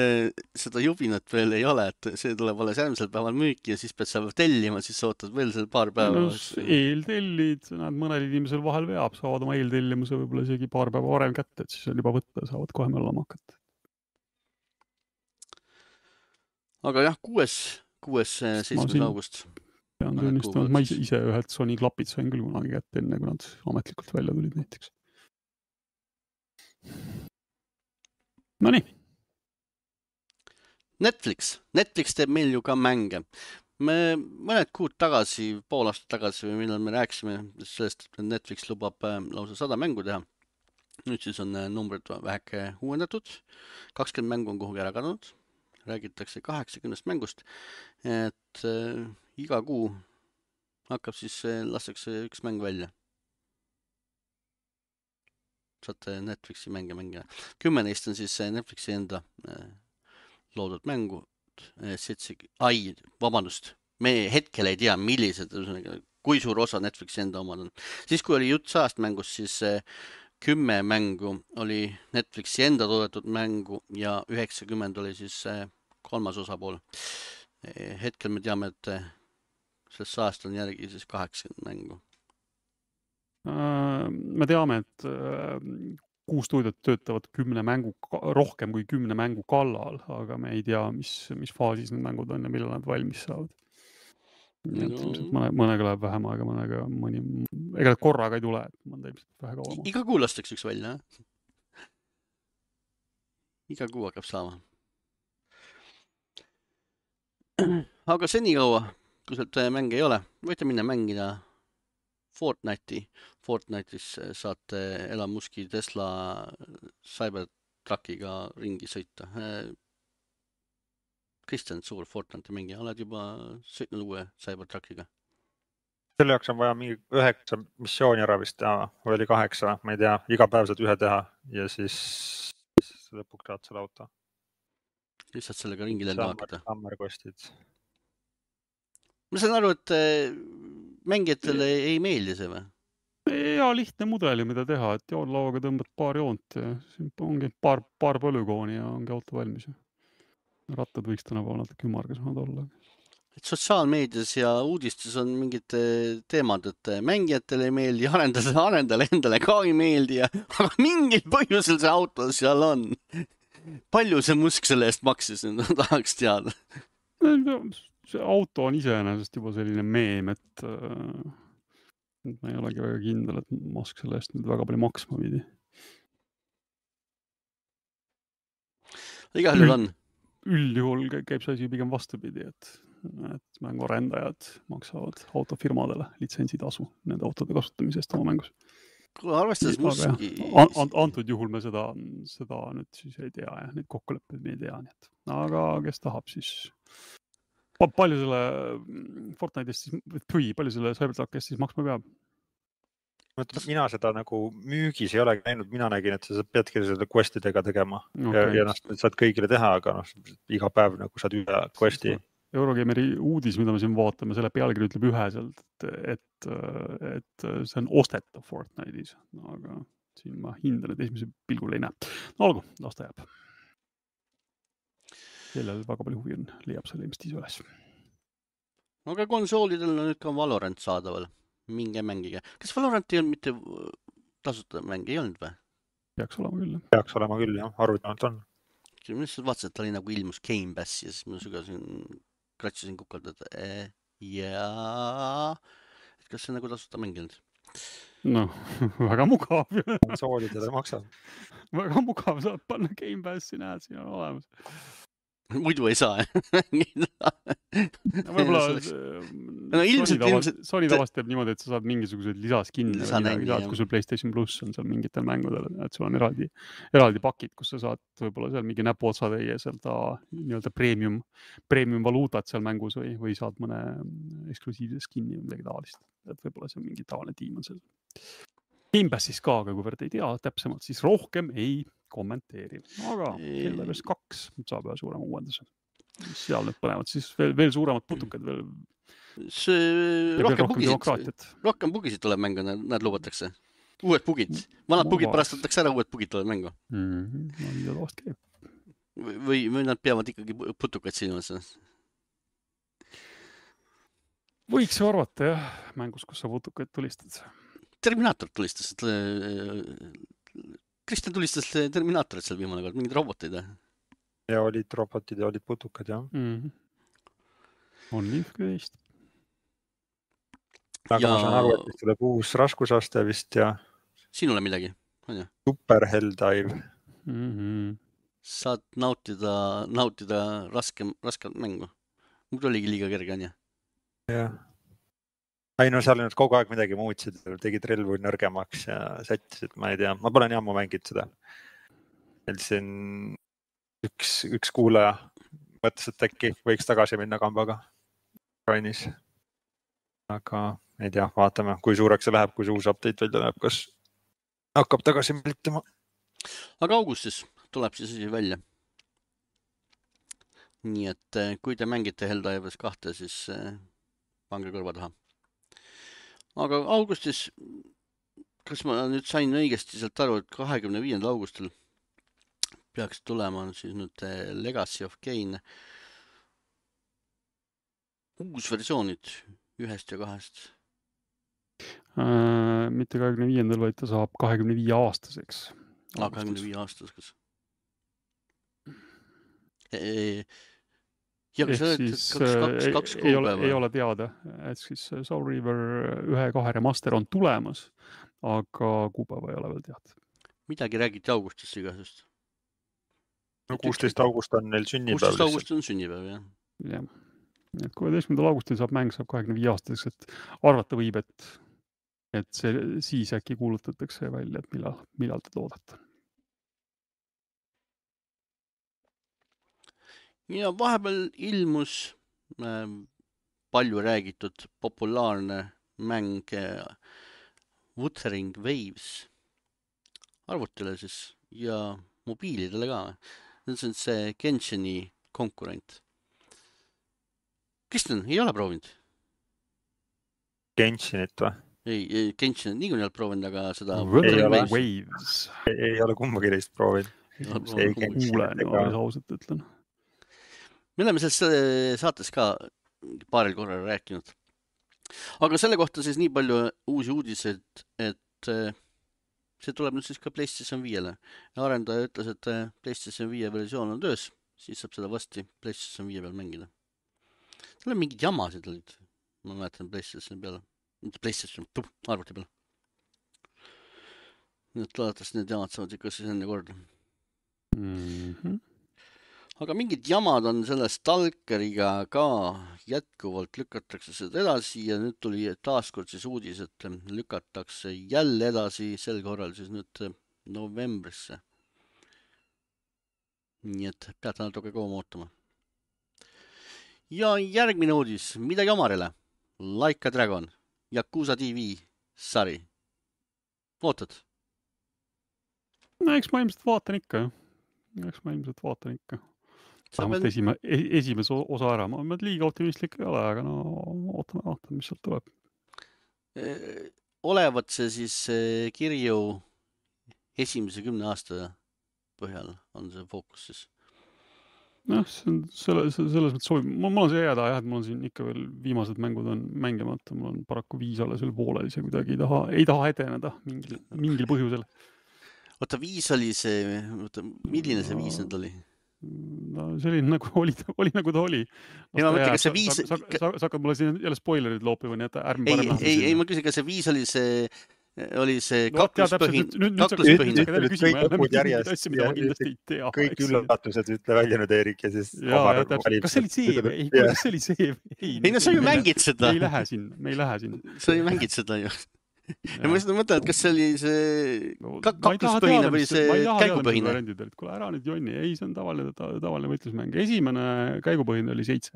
[SPEAKER 1] seda jubinat veel ei ole, et see tuleb alles järgmisel päeval müüki ja siis pead sa tellima, siis sa ootad veel seal paar päeva.
[SPEAKER 2] Eeltellid, näed, mõnel inimesel vahel veab, saavad oma eeltellimuse võib-olla isegi paar päeva varem kätte, et siis on juba võtta, saavad kohe möllama hakata.
[SPEAKER 1] Aga jah, 7. august.
[SPEAKER 2] Pean tunnistama, et ma ise ühed Sony klapid sain küll kunagi kätte enne, kui nad ametlikult välja tulid näiteks. Nonii. Netflix teeb meil ju ka mänge. Me mõned kuud tagasi, pool aastat tagasi või millal me rääkisime sellest, et Netflix lubab lausa 100 mängu teha. Nüüd siis on numbrid väheke uuendatud. 20 mängu on kuhugi ära kadunud. Räägitakse 80 mängust. Et iga kuu hakkab siis, lastakse üks mäng välja. Saate Netflixi mänge. 10 neist on siis Netflixi enda loodud mängu. Vabandust, me hetkel ei tea, millised, kui suur osa Netflixi enda omad on. Siis, kui oli jutt 100 mängust, siis 10 mängu oli Netflixi enda toodetud mängu ja 90 oli siis kolmas osapool. Hetkel me teame, et sellest 100 on järgi siis 80 mängu. Me teame, et 6 stuudiot töötavad rohkem kui 10 mängu kallal, aga me ei tea, mis faasis need mängud on ja millal nad valmis saavad. Mõnega läheb vähem aega, ega korraga ei tule, et mõnda ilmselt vähe kauem.
[SPEAKER 1] Iga kuu lastakse üks välja, iga kuu hakkab saama. Aga senikaua, kui sealt mänge ei ole, võite minna mängida Fortnite'is saate Elon Muski Tesla Cybertruckiga ringi sõita. Kristjan, suur Fortnite'i mängija, oled juba sõitnud uue Cybertruckiga?
[SPEAKER 3] Selle jaoks on vaja mingi 9 missiooni ära vist teha, või oli 8, ma ei tea, iga päev saad ühe teha ja siis lõpuks saad selle auto.
[SPEAKER 1] Lihtsalt sellega ringi lenda hakata.
[SPEAKER 3] Sammerkostid.
[SPEAKER 2] Ma
[SPEAKER 1] saan aru, et mängijatele ei meeldi see või?
[SPEAKER 2] Ja lihtne mudeli, mida teha, et joonlauaga tõmbad paar joont ja ongi paar polügooni ja ongi auto valmis. Rattad võiks tänapäeval natuke ümargasemad olla.
[SPEAKER 1] Et sotsiaalmeedias ja uudistes on mingid teemad, et mängijatele ei meeldi, arendajale endale ka ei meeldi, aga mingil põhjusel see auto seal on. Palju see Musk selle eest maksis, tahaks teada?
[SPEAKER 2] See auto on iseenesest juba selline meem, et ma ei olegi väga kindel, et Musk selle eest nüüd väga palju maksma pidi.
[SPEAKER 1] Igal juhul on.
[SPEAKER 2] Üldjuhul käib see asi pigem vastupidi, et et mänguarendajad maksavad autofirmadele litsentsitasu nende autode kasutamisest oma mängus.
[SPEAKER 1] Kui arvestades muski...
[SPEAKER 2] Antud juhul me seda nüüd siis ei tea ja neid kokkuleppeid me ei tea, nii et aga kes tahab siis palju selle Fortnite'ist siis, palju selle Cybertruckist siis maksma peab?
[SPEAKER 3] Mina seda nagu müügis ei ole näinud, mina nägin, et sa peadki seda questidega tegema ja saad kõigile teha, aga iga päev nagu saad üle questi.
[SPEAKER 2] Eurogameri uudis, mida me siin vaatame, selle pealkiri ütleb üheselt, et see on ostetav Fortnite'is, aga siin ma hindan, et esimese pilgul ei näe. No olgu, las ta jääb. Kellel väga palju huvi on, leiab selle ilmselt ise üles.
[SPEAKER 1] Aga konsoolidel on nüüd ka Valorant saadaval. Minge mängige. Kas Valorant ei olnud mitte tasuta mäng, ei olnud või?
[SPEAKER 2] Peaks olema küll, jah.
[SPEAKER 3] Peaks olema küll, jah. Arvutanud on.
[SPEAKER 1] Mina vaatasin, et ta oli nagu ilmus Game Pass ja siis ma kratsusin kukalt, et jaa, et kas see nagu tasuta mänginud?
[SPEAKER 2] No, väga mugav.
[SPEAKER 3] Konsoolidele maksab.
[SPEAKER 2] Väga mugav, saab panna Game Passi, näed, siin on olemas.
[SPEAKER 1] Muidu ei saa
[SPEAKER 2] võib-olla Sony tavast teeb niimoodi, et sa saad mingisugused lisaskinne või midagi, kui sul PlayStation Plus on seal mingitel mängudel, et sul on eraldi pakid, kus sa saad võib-olla seal mingi näpuotsa teie seda nii-öelda premium valuutat seal mängus või saad mõne eksklusiivse skinni või midagi taolist. Et võib-olla see on mingi tavaline tiim on seal. Game Passis ka, aga kuivõrd ei tea täpsemalt, siis rohkem ei kommenteeri. Aga Helldivers 2 saab ühe suurema uuenduse. Seal nüüd põnevad siis veel suuremad putukad.
[SPEAKER 1] Rohkem bugisid tuleb mängu, nad lubatakse. Uued bugid. Vanad bugid pärastatakse ära, uued bugid tuleb mängu. Või nad peavad ikkagi putukaid silmas?
[SPEAKER 2] Võiks ju arvata, jah, mängus, kus sa putukaid tulistad.
[SPEAKER 1] Terminaator tulistas. Kristjan tulistas Terminaatorit seal viimane kord, mingid robotid.
[SPEAKER 3] Ja olid robotid ja olid putukad, jah.
[SPEAKER 2] On liivküvist.
[SPEAKER 3] Aga ma saan aru, et tuleb uus raskusaste vist ja...
[SPEAKER 1] Sinule midagi, on ju?
[SPEAKER 3] Super Helldive.
[SPEAKER 1] Saad nautida rasket mängu. Muidu oligi liiga kerge, on ju?
[SPEAKER 3] Jah. Ei, no seal nüüd kogu aeg midagi muutsid, tegid relvu nõrgemaks ja sättisid, ma ei tea. Ma pole nii ammu mängid seda. Et siin üks kuulaja mõtles, et äkki võiks tagasi minna kambaga Rainis. Aga ei tea, vaatame, kui suureks see läheb, kui see uus update välja läheb, kas hakkab tagasi miltama. Aga
[SPEAKER 1] augustis tuleb siis välja. Nii et kui te mängite Helldivers 2, siis pange kõrva taha. Aga augustis, kas ma nüüd sain õigesti sealt aru, et 25. augustil peaks tulema siis nüüd Legacy of Kain uus versioonid 1 ja 2.
[SPEAKER 2] Mitte 25. vaid ta saab 25 aastaseks.
[SPEAKER 1] 25 aastaseks. Ja
[SPEAKER 2] siis ei ole teada, et siis Soul River 1-2 remaster on tulemas, aga kuupäeva ei ole veel teada.
[SPEAKER 1] Midagi räägiti augustist igasest.
[SPEAKER 3] No 16. august on neil sünnipäev.
[SPEAKER 1] 16. august on sünnipäev, jah.
[SPEAKER 2] Jah. Et 16. augustil saab mäng 25 aastaseks, et arvata võib, et see siis äkki kuulutatakse välja, et millal ta toodata.
[SPEAKER 1] Ja vahepeal ilmus palju räägitud populaarne mäng Wuthering Waves arvutile siis ja mobiilidele ka. See on see Genshini konkurent. Kristjan, ei ole proovinud?
[SPEAKER 3] Genshinit või?
[SPEAKER 1] Ei, Genshinit niikuinii ei ole proovinud, aga seda
[SPEAKER 2] Wuthering Waves.
[SPEAKER 3] Ei ole kumbagi teist proovinud.
[SPEAKER 2] Ausalt ütlen.
[SPEAKER 1] Me oleme selles saates ka paaril korral rääkinud. Aga selle kohta siis nii palju uusi uudised, et see tuleb nüüd siis ka PlayStation 5-le. Ja arendaja ütles, et PlayStation 5 versioon on töös, siis saab seda vasti PlayStation 5 peal mängida. Seal on mingid jamasid olid, ma mäletan PlayStation peale. PlayStation, arvuti peale. Nii et loodetavasti need jamad saavad ikka siis enne korda. Aga mingid jamad on selle Stalkeriga ka jätkuvalt lükatakse seda edasi ja nüüd tuli taaskord siis uudis, et lükatakse jälle edasi, sel korral siis nüüd novembrisse. Nii et peate natuke kauem ootama. Ja järgmine uudis, midagi omarile. Like a Dragon, Yakuza TV sari. Ootad?
[SPEAKER 2] No eks ma ilmselt vaatan ikka. Vähemalt esimese osa ära. Ma liiga optimistlik ei ole, aga no ootame, mis sealt tuleb.
[SPEAKER 1] Olevat see siis kirju esimese 10 aasta põhjal on see fookus siis.
[SPEAKER 2] Noh, selles mõttes sobib. Mul on see jääda, et mul on siin ikka veel viimased mängud on mängimata. Mul on paraku 5 alles veel pooleli, see kuidagi ei taha edeneda mingil põhjusel.
[SPEAKER 1] Oota, 5 oli see, milline see 5 nüüd oli?
[SPEAKER 2] No see oli nagu ta oli.
[SPEAKER 1] Ei, ma mõtlen, kas see 5...
[SPEAKER 2] Sa hakkad mulle siin jälle spoilerid loopima, nii et ärme parem lähme.
[SPEAKER 1] Ei, ma küsin, kas see 5 oli see kakluspõhine.
[SPEAKER 3] Kõik üllatused ütle välja nüüd, Eerik, ja siis...
[SPEAKER 2] Kas see oli see või? Kas see oli see või?
[SPEAKER 1] Ei, no sa ju mängid seda.
[SPEAKER 2] Me ei lähe siin.
[SPEAKER 1] Sa ju mängid seda ju. Ja ma mõtlen, et kas see oli see kakluspõhine või see käigupõhine?
[SPEAKER 2] Kuule, ära nüüd jonni. Ei, see on tavaline võitlusmäng. Esimene käigupõhine oli 7.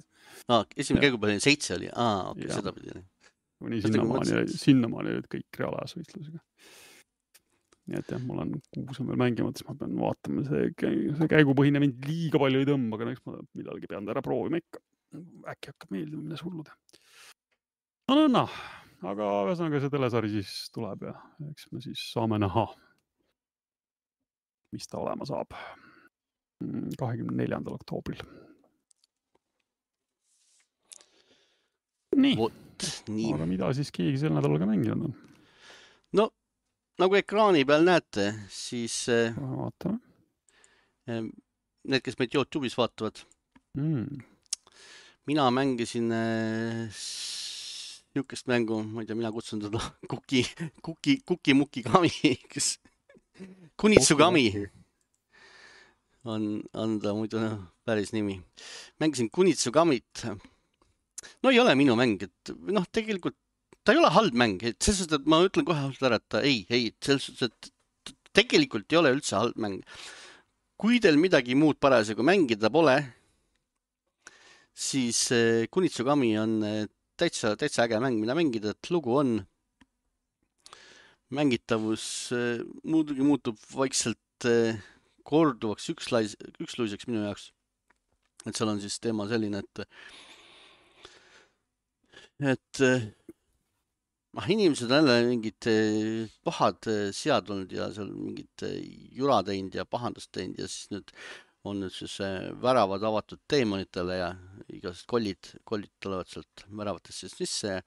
[SPEAKER 1] Esimene käigupõhine 7 oli? Okei, seda pidi.
[SPEAKER 2] Kuni sinnamaani olid kõik reaalajas võitlusega. Nii et jah, mul on 6 on veel mängimata, siis ma pean vaatama. See käigupõhine mind liiga palju ei tõmba, aga eks ma midalgi pean ära proovima ikka. Äkki hakkab meeldima, mida sulluda. No. Aga ühesõnaga see telesari siis tuleb ja eks me siis saame näha, mis ta olema saab 24. oktoobril. Nii. Aga mida siis keegi sel nädalal ka mänginud on?
[SPEAKER 1] No, nagu ekraani peal näete, siis
[SPEAKER 2] vaatame.
[SPEAKER 1] Need, kes meid YouTube'is vaatavad. Mina mängisin niisugust mängu, ma ei tea, mina kutsun teda Kuki Kami, kes Kunitsugami on ta muidu päris nimi. Mängisin Kunitsugamit. No ei ole minu mäng, et tegelikult ta ei ole halb mäng, et selles suhtes, et ma ütlen kohe ära, et ei, selles suhtes, et tegelikult ei ole üldse halb mäng. Kui teil midagi muud parasjagu mängida pole, siis Kunitsugami on täitsa äge mäng, mida mängida, et lugu on. Mängitavus muidugi muutub vaikselt korduvaks üksluiseks minu jaoks. Et seal on siis teema selline, et inimesed on jälle mingid pahad sead olnud ja seal mingid jura teinud ja pahandust teinud ja siis nüüd on nüüd siis väravad avatud teemonitele ja igased kollid tulevad sealt väravatest sisse ja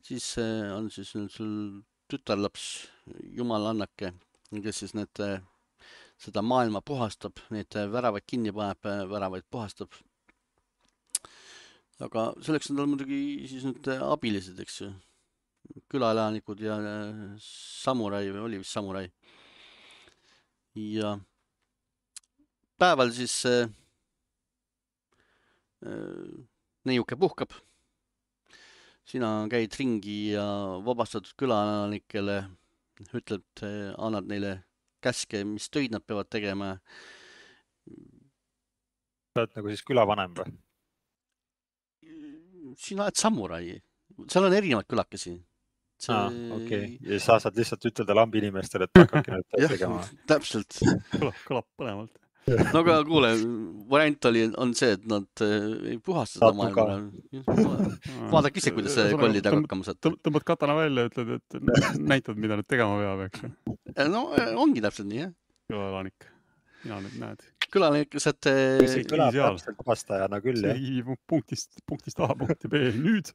[SPEAKER 1] siis on siis sul tütarlaps, jumalannake, kes siis seda maailma puhastab, need väravaid kinni paneb, väravaid puhastab. Aga selleks on tal muidugi siis nüüd abilised, eks ju, külaelanikud ja samurai või oli vist samurai. Ja päeval siis neiuke puhkab. Sina käid ringi ja vabastatud külaelanikele ütled, annad neile käske, mis töid nad peavad tegema.
[SPEAKER 3] Sa oled nagu siis külavanem või?
[SPEAKER 1] Sina oled samurai. Seal on erinevad külakesi.
[SPEAKER 3] Okei. Ja sa saad lihtsalt ütelda lambi inimestele, et hakkabki nüüd tegema.
[SPEAKER 1] Täpselt.
[SPEAKER 2] Kõlab põnevalt.
[SPEAKER 1] No aga kuule, variant on see, et nad ei puhasta seda maailma. Vaadake ise, kuidas kollidega hakkama saad.
[SPEAKER 2] Tõmbad katana välja ja ütled, et näitad, mida nüüd tegema peab, eks?
[SPEAKER 1] No ongi täpselt nii, jah.
[SPEAKER 2] Külaelanik. Mina nüüd näed.
[SPEAKER 1] Külaelanik saad...
[SPEAKER 3] See kõlab täpselt puhastajana küll, jah.
[SPEAKER 2] See punktist A, punkti B, nüüd.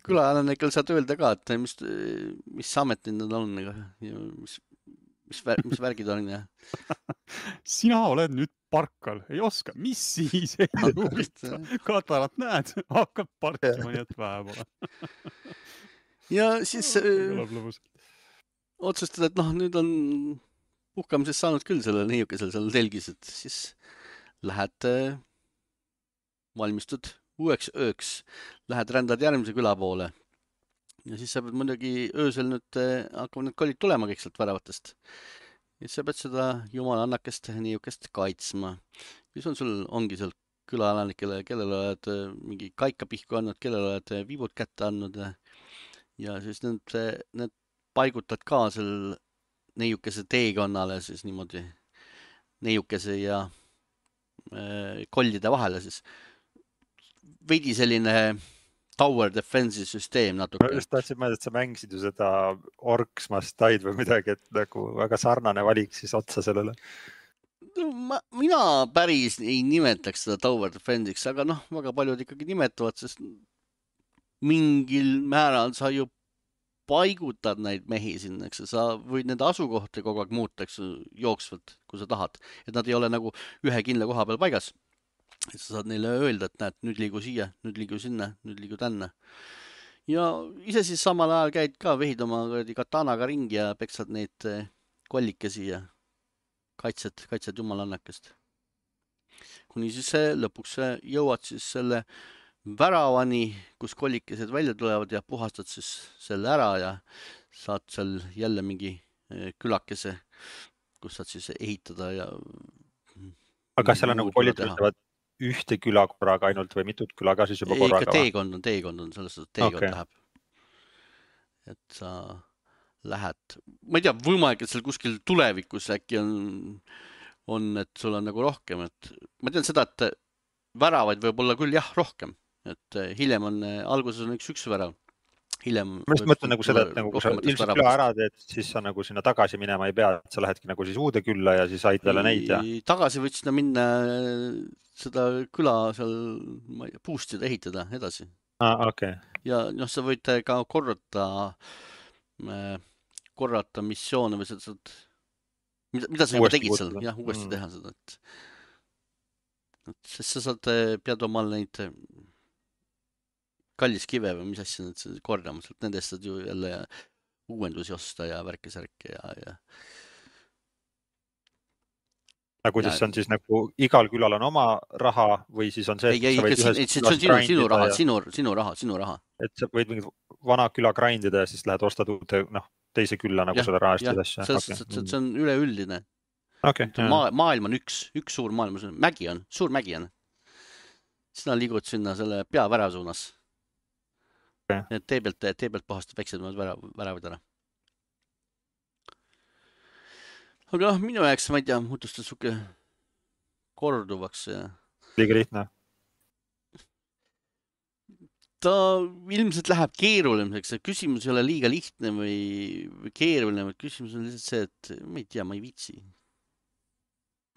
[SPEAKER 1] Külaelanikel saad öelda ka, et mis ametid nad on, mis värgid on, jah.
[SPEAKER 2] Sina oled nüüd parkal, ei oska. Mis siis ei huvita? Katarat näed, hakkab parkima, nii et vähe pole.
[SPEAKER 1] Ja siis otsustad, et nüüd on puhkamisest saanud küll selle neiukesel seal telgis, et siis lähed valmistud uueks ööks, lähed rändad järgmise küla poole ja siis sa pead muidugi öösel nüüd hakkavad need kollid tulema kõik sealt väravatest. Ja siis sa pead seda jumala annakest niisugust kaitsma. Siis ongi seal külaelanikele, kellele oled mingi kaika pihku andnud, kellele oled viibud kätte andnud ja siis need paigutad ka seal neiukese teekonnale siis niimoodi neiukese ja kollide vahele siis. Veidi selline tower defense'i süsteem natuke.
[SPEAKER 3] Ma just tahtsin mõelda, et sa mängisid ju seda Orcs Must Die või midagi, et nagu väga sarnane valik siis otsa sellele.
[SPEAKER 1] Mina päris ei nimetaks seda tower defense'iks, aga väga paljud ikkagi nimetavad, sest mingil määral sa ju paigutad neid mehi sinna, eks sa võid nende asukohti kogu aeg muuta, eks jooksvalt, kui sa tahad, et nad ei ole nagu ühe kindla koha peal paigas. Et sa saad neile öelda, et näed, nüüd liigu siia, nüüd liigu sinna, nüüd liigu tänna. Ja ise siis samal ajal käid ka vehid oma katanaga ringi ja peksad neid kollikesi ja kaitsed jumalannakest. Kuni siis lõpuks jõuad siis selle väravani, kus kollikesed välja tulevad ja puhastad siis selle ära ja saad seal jälle mingi külakese, kus saad siis ehitada ja
[SPEAKER 3] aga seal on nagu kollid töötavad ühte küla korraga ainult või mitut küla ka siis juba korraga?
[SPEAKER 1] Teekond on, selles teekond läheb. Et sa lähed, ma ei tea, võimalik, et seal kuskil tulevikus äkki on, et sul on nagu rohkem, et ma tean seda, et väravaid võib olla küll jah rohkem, et hiljem on, alguses on üks värav.
[SPEAKER 3] Ma just mõtlen nagu seda, et nagu kui sa ilmselt küla ära teed, siis sa nagu sinna tagasi minema ei pea, et sa lähedki nagu siis uude külla ja siis aid jälle neid ja...
[SPEAKER 1] Tagasi võid sinna minna seda küla seal boostida, ehitada edasi.
[SPEAKER 3] Okay.
[SPEAKER 1] Ja sa võid ka korrata missioone või seda, mida sa juba tegid seal, jah, uuesti teha seda, et sest sa pead omal neid kallis kive või mis asja need kordama, nendest saad ju jälle uuendusi osta ja värke-särke ja...
[SPEAKER 3] Kuidas see on siis nagu igal külal on oma raha või siis on see...
[SPEAKER 1] see on sinu raha.
[SPEAKER 3] Et sa võid mingid vana küla grindida ja siis lähed ostad uute teise külla nagu seda raha eest edasi.
[SPEAKER 1] See on üleüldine. Maailm on üks suur maailm, suur mägi on. Sina liigud sinna selle peavära suunas. Tee pealt puhastad väiksed väravad ära. Aga minu jaoks, ma ei tea, muutus ta suke korduvaks.
[SPEAKER 3] Liiga lihtne.
[SPEAKER 1] Ta ilmselt läheb keeruliseks. Küsimus ei ole liiga lihtne või keeruline. Küsimus on lihtsalt see, et ma ei tea, ma ei viitsi.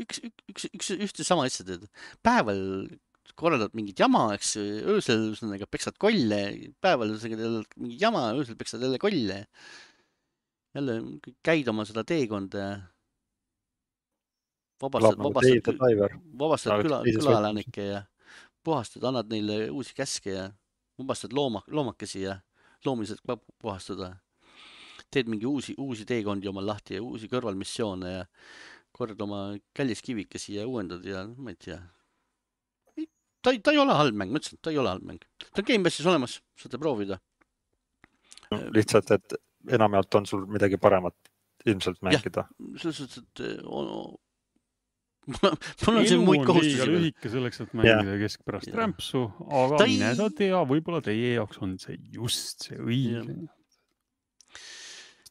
[SPEAKER 1] Üks sama asja teed. Päeval korraldad mingit jama, eks öösel peksad kolle, päeval mingi jama, öösel peksad jälle kolle. Jälle käid oma seda teekonda ja vabastad külaelanikke ja puhastad, annad neile uusi käske ja vabastad loomakesi ja loomised puhastada. Teed mingi uusi teekondi omal lahti ja uusi kõrvalmissioone ja kord oma kalliskivikesi ja uuendad ja ma ei tea. Ta ei ole halb mäng, ma ütlesin, ta ei ole halb mäng. Ta on Game Passis olemas, saate proovida.
[SPEAKER 3] Lihtsalt, et enamjaolt on sul midagi paremat ilmselt mängida.
[SPEAKER 1] Jah, selles suhtes, et mul on siin muid kohustusi.
[SPEAKER 2] Elu on liiga lühike selleks, et mängida keskpärast rämpsu, aga mine sa tea, võib-olla teie jaoks on see just see õige.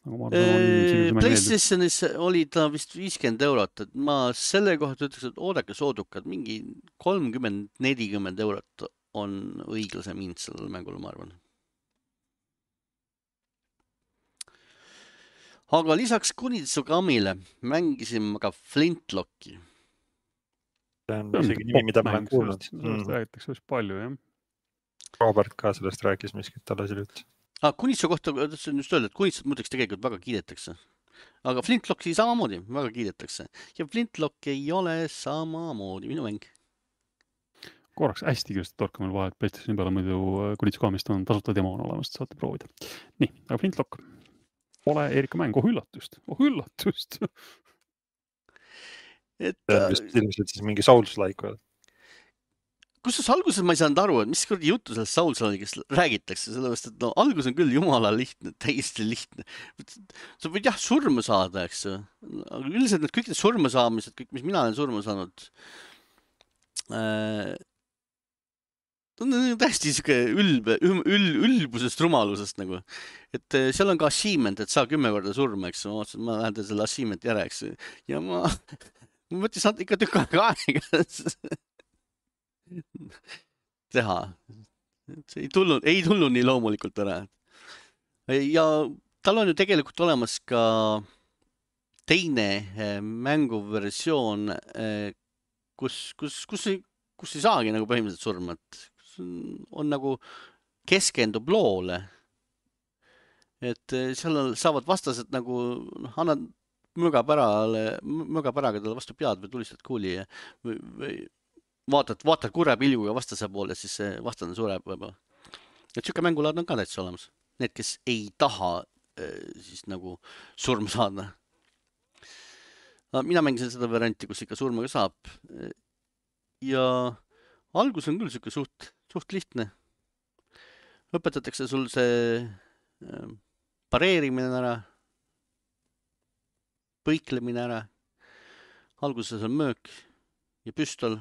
[SPEAKER 1] PlayStationis oli ta vist 50 €, et ma selle kohta ütleks, et oodake soodukad, mingi 30-40 € on õiglasem hind sellel mängul, ma arvan. Aga lisaks Kunitsukamile mängisime ka Flintlocki.
[SPEAKER 3] See on isegi nimi, mida ma olen kuulnud.
[SPEAKER 2] Sellest räägitakse just palju, jah.
[SPEAKER 3] Robert ka sellest rääkis miskit talle siin üldse.
[SPEAKER 1] Kunitsu kohta tahtsin just öelda, et Kunitsut muudeks tegelikult väga kiidetakse. Aga Flintlocki samamoodi väga kiidetakse. Ja Flintlock ei ole samamoodi minu mäng.
[SPEAKER 2] Korraks hästi kiiresti torka meil vahet PlayStationi peale, muidu Kunitsukamist on tasuta demo on olemas, saate proovida. Nii, aga Flintlock pole Erika mäng. Üllatust.
[SPEAKER 3] Ilmselt siis mingi Souls-like või?
[SPEAKER 1] kusjuures alguses ma ei saanud aru, et mis kuradi juttu sellest Souls-likest räägitakse, sellepärast, et no algus on küll jumala lihtne, täiesti lihtne. Sa võid jah surma saada, eks ju. Aga üldiselt kõik need surma saamised, kõik, mis mina olen surma saanud, on täiesti siuke ülbusest, rumalusest nagu. Et seal on ka achievement, et saa 10 korda surma, eks ju. Ma lähen selle achievement järele, eks ju. Ja ma mõtlesin, saad ikka tükk aega teha. See ei tulnud nii loomulikult ära. Ja tal on ju tegelikult olemas ka teine mänguversioon, kus ei saagi nagu põhimõtteliselt surma, et on nagu keskendub loole. Et seal saavad vastased nagu, annad mögapäraga talle vastu pead või tulistad kuuli ja vaatad kurja pilguga vastase poole, siis see vastane sureb võib-olla. Et siuke mängulaad on ka täitsa olemas. Need, kes ei taha siis nagu surma saada. Mina mängisin seda varianti, kus ikka surma ka saab. Ja algus on küll siuke suht lihtne. Õpetatakse sul see pareerimine ära, põiklemine ära. Alguses on möök ja püstol.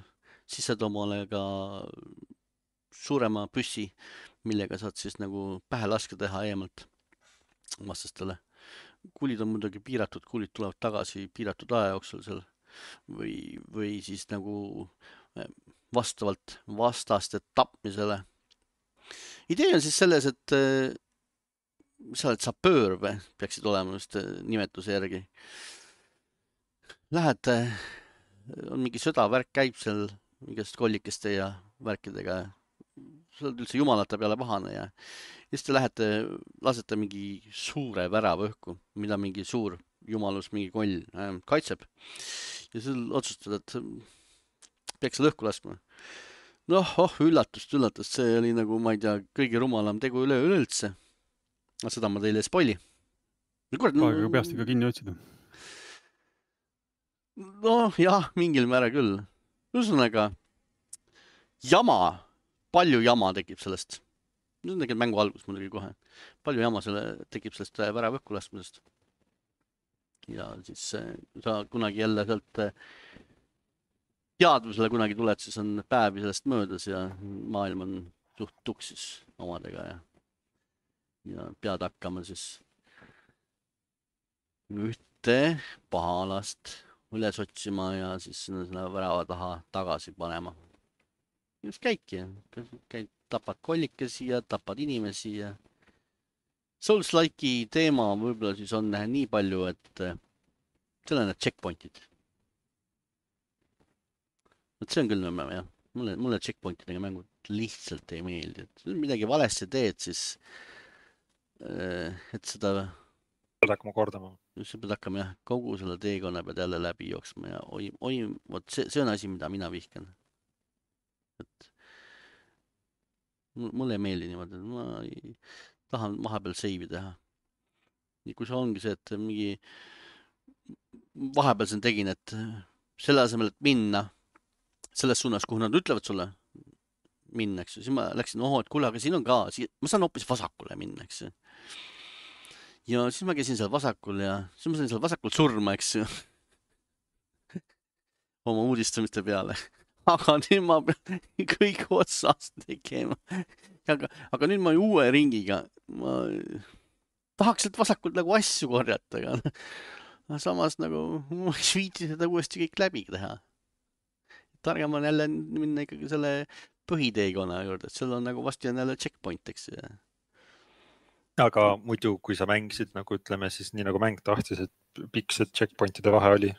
[SPEAKER 1] Siis saad omale ka suurema püssi, millega saad siis nagu pähe laske teha eemalt vastastele. Kuulid on muidugi piiratud, kuulid tulevad tagasi piiratud aja jooksul seal või siis nagu vastavalt vastaste tapmisele. Idee on siis selles, et sa oled sapöör, peaksid olema just nimetuse järgi. Lähed, on mingi sõdavärk käib seal mingist kollikeste ja värkidega. Sa oled üldse jumalate peale pahane ja siis te lähete, lasete mingi suure värava õhku, mida mingi suur jumalus, mingi koll kaitseb. Ja sul otsustad, et peaks seal õhku laskma. Noh, üllatust, see oli nagu, ma ei tea, kõige rumalam tegu üleüldse. Seda ma teile ei spoili.
[SPEAKER 2] Aega peast ikka kinni otsida.
[SPEAKER 1] Noh, jah, mingil määra küll. Ühesõnaga, palju jama tekib sellest. See on tegelikult mängu algus muidugi kohe. Palju jama tekib sellest värava õhku laskmisest. Ja siis sa kunagi jälle sealt teadvusele kunagi tuled, siis on päevi sellest möödas ja maailm on suht tuksis omadega ja pead hakkama siis ühte pahalast üles otsima ja siis selle värava taha tagasi panema. Just käidki, tapad kollikesi ja tapad inimesi ja Souls-like'i teema võib-olla siis on nii palju, et seal on need checkpointid. See on küll nõmme, jah. Mulle checkpointidega mängud lihtsalt ei meeldi. Et midagi valesti teed, siis et seda
[SPEAKER 3] pead hakkama kordama.
[SPEAKER 1] Sa pead hakkama, jah, kogu selle teekonna pead jälle läbi jooksma ja see on asi, mida mina vihkan. Et mulle ei meeldi niimoodi, et ma ei tahan vahepeal seivi teha. Ja kui see ongi see, et mingi vahepeal sen tegin, et selle asemel, et minna selles suunas, kuhu nad ütlevad sulle minna, eks ju. Siis ma läksin, et kuule, aga siin on ka, ma saan hoopis vasakule minna, eks ju. Ja siis ma käisin seal vasakul ja siis ma sain seal vasakul surma, eks ju. Oma uudistamiste peale. Aga nüüd ma pean kõik otsast tegema. Aga nüüd ma uue ringiga. Ma tahaks sealt vasakult nagu asju korjata, aga samas nagu ma ei viiti seda uuesti kõik läbi teha. Targem on jälle minna ikkagi selle põhiteekonna juurde, et seal on nagu vasti on jälle checkpoint, eks.
[SPEAKER 3] Aga muidu, kui sa mängisid, nagu ütleme, siis nii nagu mäng tahtis, et pikk see checkpointide vahe oli?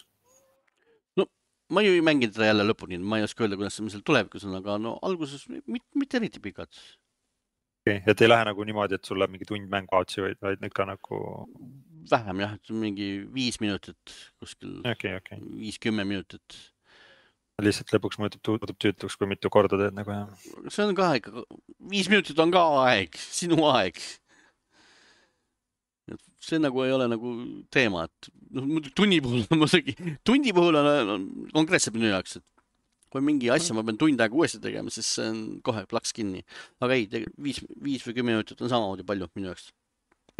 [SPEAKER 1] No, ma ju ei mänginud seda jälle lõpuni, ma ei oska öelda, kuidas see seal tulevikus on, aga no alguses mitte eriti pikad.
[SPEAKER 3] Okay. Et ei lähe nagu niimoodi, et sul läheb mingi tund mängu aatsi, vaid ikka nagu...
[SPEAKER 1] Vähem jah, et mingi 5 minutit kuskil, 5-10 minutit.
[SPEAKER 3] Lihtsalt lõpuks muutub tüütuks, kui mitu korda teed nagu jah.
[SPEAKER 1] See on ka ikka, 5 minutit on ka aeg, sinu aeg. See nagu ei ole nagu teema, et tunni puhul on muidugi, tundi puhul on konkreetselt minu jaoks, et kui mingi asja ma pean tund aega uuesti tegema, siis see on kohe plaks kinni. Aga ei, 5 või 10 minutit on samamoodi palju minu jaoks.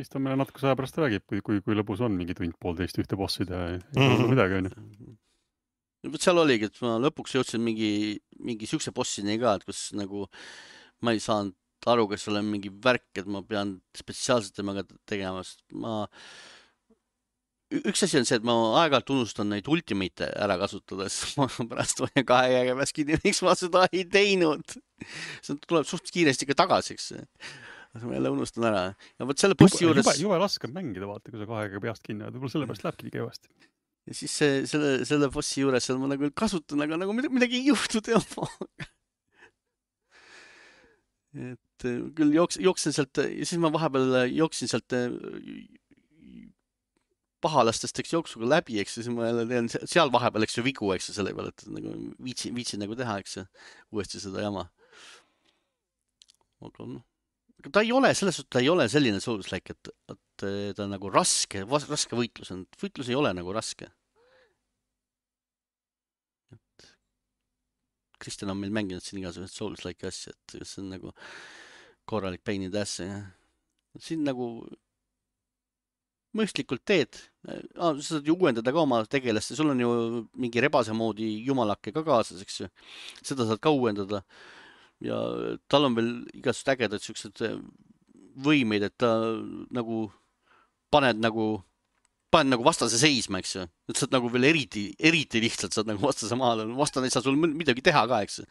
[SPEAKER 2] Siis ta meile natuke aja pärast räägib, kui lõbus on mingi tund-poolteist ühte bossi teha ja midagi on ju.
[SPEAKER 1] Võt seal oligi, et ma lõpuks jõudsin mingi siukse bossini ka, et kus nagu ma ei saanud aru, kas olen mingi värk, et ma pean spetsiaalselt temaga tegema, sest üks asi on see, et ma aeg-ajalt unustan neid ultimate'e ära kasutada, siis ma pärast hoian 2 käega peas kinni, miks ma seda ei teinud. See tuleb suht kiiresti ka tagasi, eks. Ma jälle unustan ära. Ja võt selle bossi juures...
[SPEAKER 2] Jube laske mängida, vaata, kui sa 2 käega peast kinni, võib-olla sellepärast lähebki nii kehvasti.
[SPEAKER 1] Ja siis selle bossi juures seal ma nagu kasutan, aga nagu midagi ei juhtu teemaga. Et küll jooksen sealt, ja siis ma vahepeal jooksin sealt pahalastest, eks jooksuga läbi, eks siis ma jälle teen seal vahepeal, eks ju vigu, eks ju selle peale, et nagu viitsin nagu teha, eks ju, uuesti seda jama. Aga noh, ta ei ole, selles suhtes ta ei ole selline Souls-like, et ta on nagu raske võitlus on. Võitlus ei ole nagu raske. Kristjan on meil mänginud siin igasugused Souls-like asja, et see on nagu korralik pain in the ass. Siin nagu mõistlikult teed, sa saad ju uuendada ka oma tegelast ja sul on ju mingi rebase moodi jumalakke ka kaasas, eks ju. Seda saad ka uuendada ja tal on veel igasugused ägedad siuksed võimeid, et ta nagu paned nagu vastase seisma, eks ju. Et saad nagu veel eriti lihtsalt saad nagu vastase maale. Vastane ei saa sul midagi teha ka, eks ju.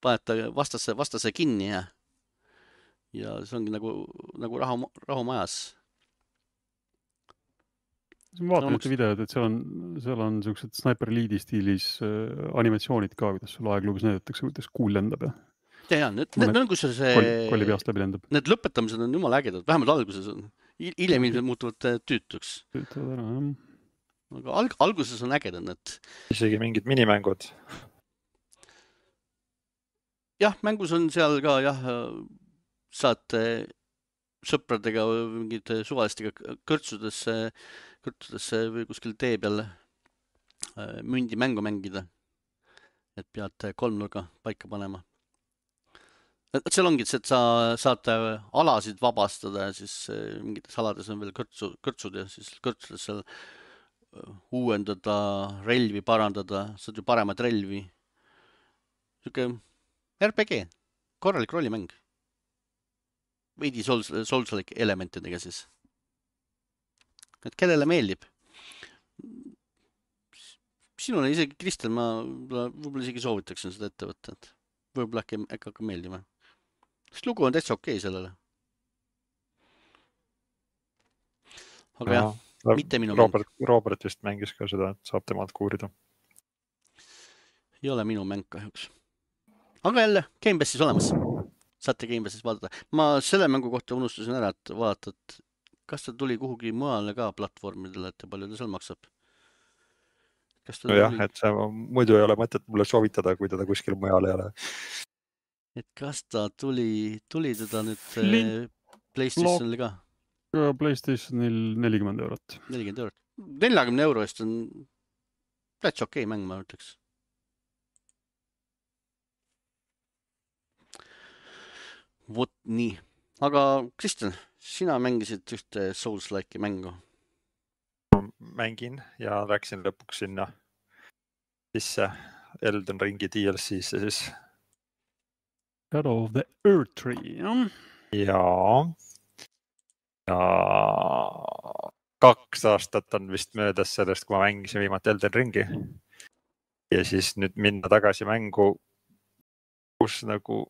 [SPEAKER 1] Paned ta vastase kinni ja see ongi nagu rahumajas.
[SPEAKER 2] Ma vaatan ühte videod, et seal on siuksed Sniper Elite'i stiilis animatsioonid ka, kuidas sul aeglubis näidatakse, kuidas kuul lendab ja...
[SPEAKER 1] Ja, need on kus see...
[SPEAKER 2] Kolli peast läbi lendab.
[SPEAKER 1] Need lõpetamised on jumala ägedad, vähemalt alguses on. Hiljem ilmselt muutuvad tüütuks.
[SPEAKER 2] Tüütuvad ära, jah.
[SPEAKER 1] Aga alguses on ägedad need.
[SPEAKER 3] Isegi mingid minimängud.
[SPEAKER 1] Jah, mängus on seal ka, saad sõpradega või mingid suvalistega kõrtsudesse või kuskil tee peal mündi mängu mängida. Et pead 3 nurga paika panema. Et seal ongi, et sa saad alasid vabastada ja siis mingites alades on veel kõrtsud ja siis kõrtsudes seal uuendada, relvi parandada, saad ju paremad relvi. Siuke RPG, korralik rollimäng. Veidi Souls-like elementidega siis. Et kellele meeldib. Sinule isegi, Kristjan, ma võib-olla isegi soovitaksin seda ette võtta. Võib-olla äkki hakkab meeldima. Sest lugu on täitsa okei sellele. Aga jah, mitte minu mäng.
[SPEAKER 3] Robert vist mängis ka seda, et saab temalt kuurida.
[SPEAKER 1] Ei ole minu mäng kahjuks. Aga jälle, Game Passis olemas. Saate Game Passis vaadata. Ma selle mängu kohta unustasin ära, et vaadata, et kas ta tuli kuhugi mujale ka platvormidele, et palju ta seal maksab.
[SPEAKER 3] Jah, et see muidu ei ole mõtet mulle soovitada, kui teda kuskil mujal ei ole.
[SPEAKER 1] Et kas ta tuli teda nüüd PlayStationil ka?
[SPEAKER 2] PlayStationil 40 €.
[SPEAKER 1] 40 €. 40 € eest on täitsa okei mäng, ma ütleks. Vot nii. Aga Kristjan, sina mängisid ühte Souls-like'i mängu.
[SPEAKER 3] Mängin ja läksin lõpuks sinna sisse Elden Ringi DLC-se siis.
[SPEAKER 2] Shadow of the Erdtree, jah?
[SPEAKER 3] Ja 2 aastat on vist möödas sellest, kui ma mängisin viimati Elden Ringi. Ja siis nüüd minna tagasi mängu, kus nagu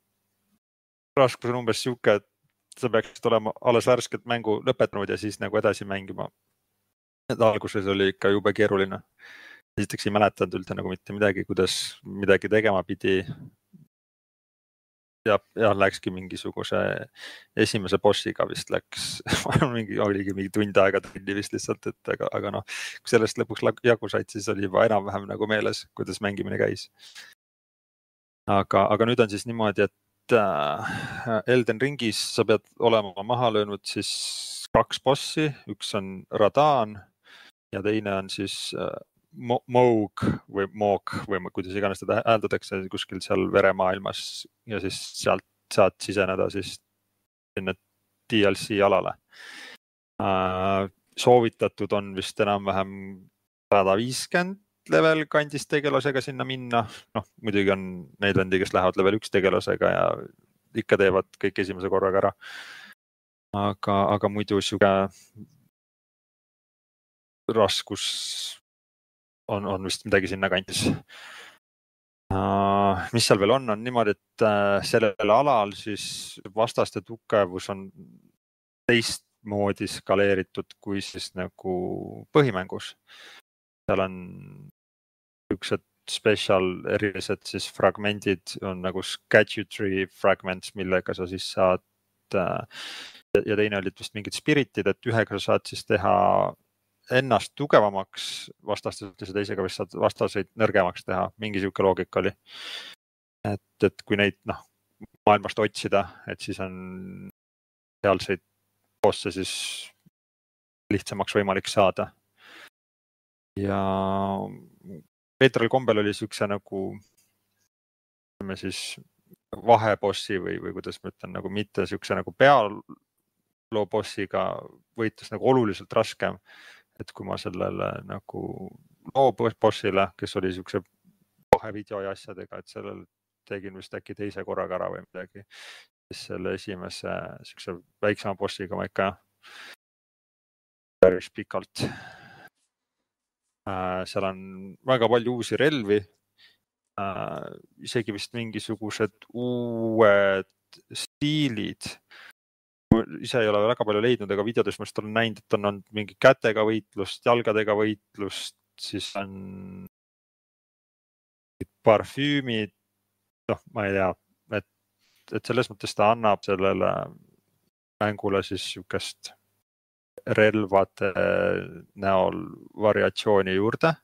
[SPEAKER 3] raskus on umbes siuke, et sa peaksid olema alles värskelt mängu lõpetanud ja siis nagu edasi mängima. Et alguses oli ikka jube keeruline. Esiteks ei mäletanud üldse nagu mitte midagi, kuidas midagi tegema pidi. Ja läkski mingisuguse esimese bossiga vist läks, oligi mingi tund aega trenni vist lihtsalt, et aga noh, kui sellest lõpuks jagu said, siis oli juba enam-vähem nagu meeles, kuidas mängimine käis. Aga nüüd on siis niimoodi, et Elden Ringis sa pead olema maha löönud siis 2 bossi, üks on Radaan ja teine on siis Moog või Moog või kuidas iganes teda hääldatakse kuskil seal veremaailmas ja siis sealt saad siseneda siis sinna DLC alale. Soovitatud on vist enam-vähem 150 level kandis tegelasega sinna minna. Noh, muidugi on neid vendi, kes lähevad level 1 tegelasega ja ikka teevad kõik esimese korraga ära. Aga muidu siuke raskus on vist midagi sinna kandis. Mis seal veel on niimoodi, et sellel alal siis vastaste tugevus on teistmoodi skaleeritud kui siis nagu põhimängus. Seal on üksed special erilised siis fragmendid on nagu Gadgetry fragments, millega sa siis saad ja teine olid vist mingid spiritid, et ühega sa saad siis teha ennast tugevamaks vastaselt ja teisega vist saad vastaseid nõrgemaks teha. Mingi siuke loogika oli. Et kui neid maailmast otsida, et siis on sealseid bosse siis lihtsamaks võimalik saada. Ja veetral kombel oli siukse nagu siis vahebossi või kuidas ma ütlen, nagu mitte siukse nagu pealoo bossiga võitlus nagu oluliselt raskem. Et kui ma sellele nagu bossile, kes oli siukse vahevideo ja asjadega, et sellel tegin vist äkki teise korraga ära või midagi. Siis selle esimese siukse väiksema bossiga ma ikka päris pikalt. Seal on väga palju uusi relvi. Isegi vist mingisugused uued stiilid. Ise ei ole väga palju leidnud, aga videodes ma olen näinud, et on mingi kätega võitlust, jalgadega võitlust, siis on parfüümid. Ma ei tea, et selles mõttes ta annab sellele mängule siis siukest relvade näol variatsiooni juurde.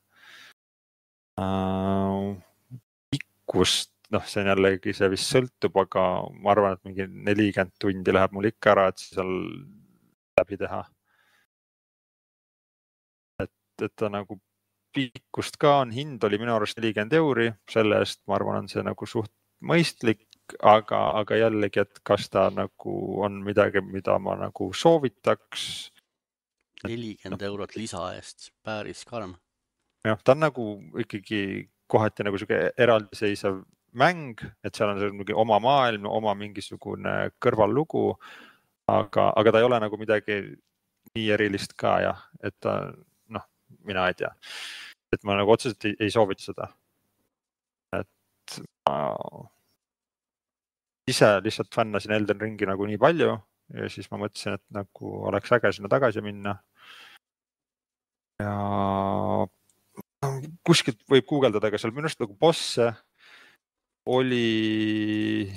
[SPEAKER 3] Pikkust, see on jällegi, see vist sõltub, aga ma arvan, et mingi 40 tundi läheb mul ikka ära, et seal läbi teha. Et ta nagu pikkust ka on, hind oli minu arust 40 €, selle eest ma arvan, on see nagu suht mõistlik, aga jällegi, et kas ta nagu on midagi, mida ma nagu soovitaks.
[SPEAKER 1] 40 € lisa eest, päris karm.
[SPEAKER 3] Jah, ta on nagu ikkagi kohati nagu siuke eraldiseisev mäng, et seal on mingi oma maailm, oma mingisugune kõrvallugu, aga ta ei ole nagu midagi nii erilist ka jah, et ta, mina ei tea, et ma nagu otseselt ei soovita seda. Et ma ise lihtsalt fännasin Elden Ringi nagu nii palju ja siis ma mõtlesin, et nagu oleks äge sinna tagasi minna. Ja kuskilt võib guugeldada, aga seal minu arust nagu bosse oli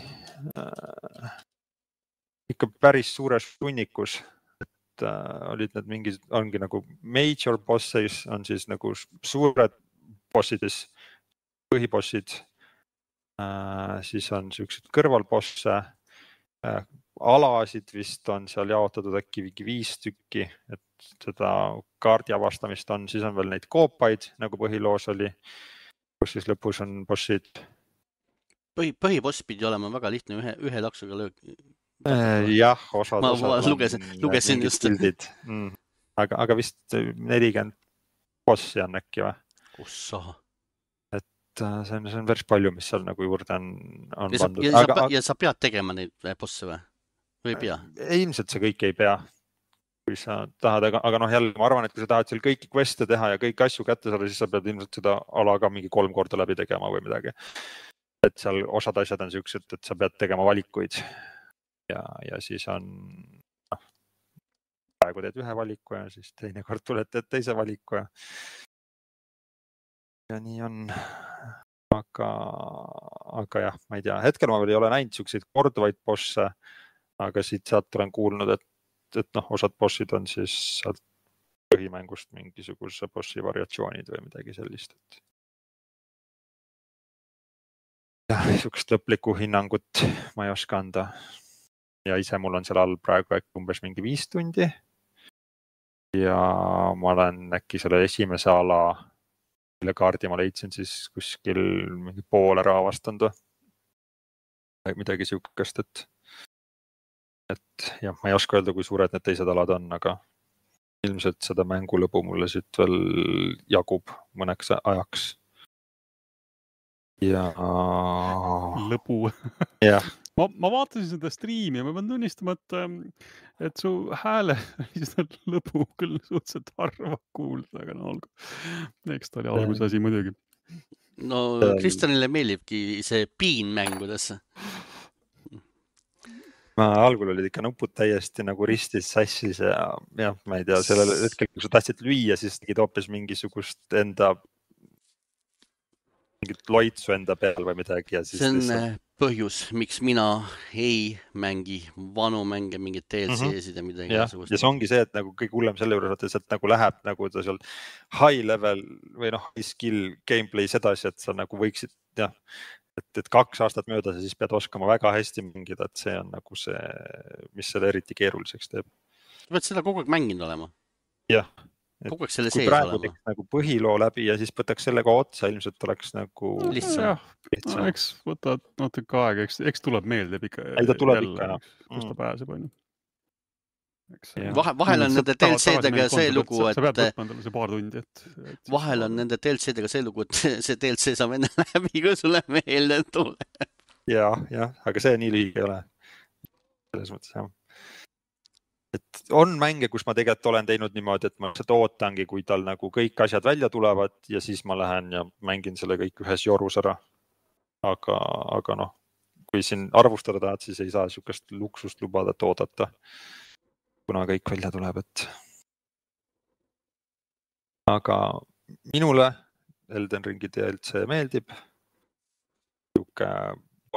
[SPEAKER 3] ikka päris suures hunnikus, et olid need mingid, ongi nagu major bosses, on siis nagu suured bossides, põhibossid, siis on siuksed kõrvalbosse, alasid vist on seal jaotatud äkki 5 tükki, et seda kaardi avastamist on, siis on veel neid koopaid, nagu põhiloos oli, kus siis lõpus on bossid.
[SPEAKER 1] Põhiboss pidi olema väga lihtne, ühe laksuga löök.
[SPEAKER 3] Jah, osad
[SPEAKER 1] ma lugesin just.
[SPEAKER 3] Aga vist 40 bossi on äkki või?
[SPEAKER 1] Ossa.
[SPEAKER 3] Et see on päris palju, mis seal nagu juurde on pandud.
[SPEAKER 1] Ja sa pead tegema neid bosse või? Või ei pea?
[SPEAKER 3] Ilmselt see kõik ei pea, kui sa tahad, aga jälle ma arvan, et kui sa tahad seal kõiki queste teha ja kõiki asju kätte saada, siis sa pead ilmselt seda ala ka mingi 3 korda läbi tegema või midagi. Et seal osad asjad on siuksed, et sa pead tegema valikuid ja siis on, praegu teed ühe valiku ja siis teine kord tuled teed teise valiku ja nii on. Aga jah, ma ei tea, hetkel ma veel ei ole näinud siukseid korduvaid bosse, aga siit-sealt olen kuulnud, et osad bossid on siis sealt põhimängust mingisuguse bossi variatsioonid või midagi sellist. Jah, siukest lõplikku hinnangut ma ei oska anda. Ja ise mul on seal all praegu äkki umbes mingi 5 tundi. Ja ma olen äkki selle esimese ala mille kaardi ma leidsin siis kuskil mingi poole raavastanud või midagi siukest, et jah, ma ei oska öelda, kui suured need teised alad on, aga ilmselt seda mängulõbu mulle siit veel jagub mõneks ajaks. Ja
[SPEAKER 2] lõbu.
[SPEAKER 3] jah.
[SPEAKER 2] Ma vaatasin seda striimi ja ma pean tunnistama, et su hääle seda lõbu küll suhteliselt harva kuulda, aga no olgu. Eks ta oli alguse asi muidugi.
[SPEAKER 1] No Kristjanile meeldibki see piin mängudesse.
[SPEAKER 3] Algul olid ikka nupud täiesti nagu ristis sassis ja ma ei tea, sellel hetkel, kui sa tahtsid lüüa, siis tegid hoopis mingisugust mingit loitsu enda peal või midagi. Ja siis
[SPEAKER 1] see on põhjus, miks mina ei mängi vanu mänge, mingid DLC-sid ja midagi.
[SPEAKER 3] Ja see ongi see, et nagu kõik hullem selle juures, et sealt nagu läheb nagu ta seal high level või high skill gameplay sedasi, et sa nagu võiksid, et 2 aastat mööda siis pead oskama väga hästi mängida, et see on nagu see, mis selle eriti keeruliseks teeb.
[SPEAKER 1] Sa pead seda kogu aeg mänginud olema?
[SPEAKER 3] Jah.
[SPEAKER 1] Kogu aeg selle
[SPEAKER 3] kui
[SPEAKER 1] sees
[SPEAKER 3] praegu
[SPEAKER 1] olema?
[SPEAKER 3] Nagu põhiloo läbi ja siis võtaks sellega otsa, ilmselt oleks nagu
[SPEAKER 1] lihtsam.
[SPEAKER 2] No, eks võtad natuke aega, eks tuleb meelde ikka.
[SPEAKER 3] Ei, ta tuleb ikka,
[SPEAKER 2] kus ta pääseb, on ju.
[SPEAKER 1] Vahel on nende DLC-dega see lugu, et
[SPEAKER 2] sa pead võtma endale see paar tundi,
[SPEAKER 1] vahel on nende DLC-dega see lugu, et see DLC saab enne läbi, kui sulle meelde tuleb.
[SPEAKER 3] Ja, aga see nii lühike ei ole. Selles mõttes, jah. Et on mänge, kus ma tegelikult olen teinud niimoodi, et ma seda ootangi, kui tal nagu kõik asjad välja tulevad ja siis ma lähen ja mängin selle kõik ühes jorus ära. Aga noh, kui siin arvustada tahad, siis ei saa siukest luksust lubada, et oodata, kuna kõik välja tuleb, et. Aga minule Elden Ringi DLC meeldib. Siuke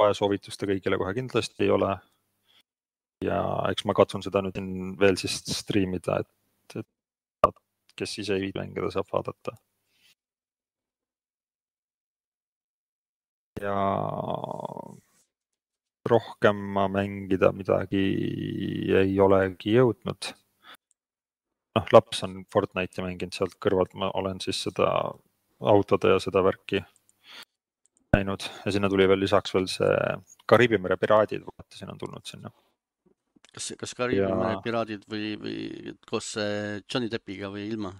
[SPEAKER 3] vajasoovituste kõigile kohe kindlasti ei ole. Ja eks ma katsun seda nüüd veel siis streamida, et kes ise ei mängida saab vaadata. Ja rohkem ma mängida midagi ei olegi jõudnud. Laps on Fortnite'i mänginud sealt kõrvalt, ma olen siis seda autode ja seda värki näinud ja sinna tuli veel lisaks veel see Kariibi mere piraadid, vaatasin on tulnud sinna.
[SPEAKER 1] Kas Kariibi mere piraadid või koos Johnny Deppiga või ilma?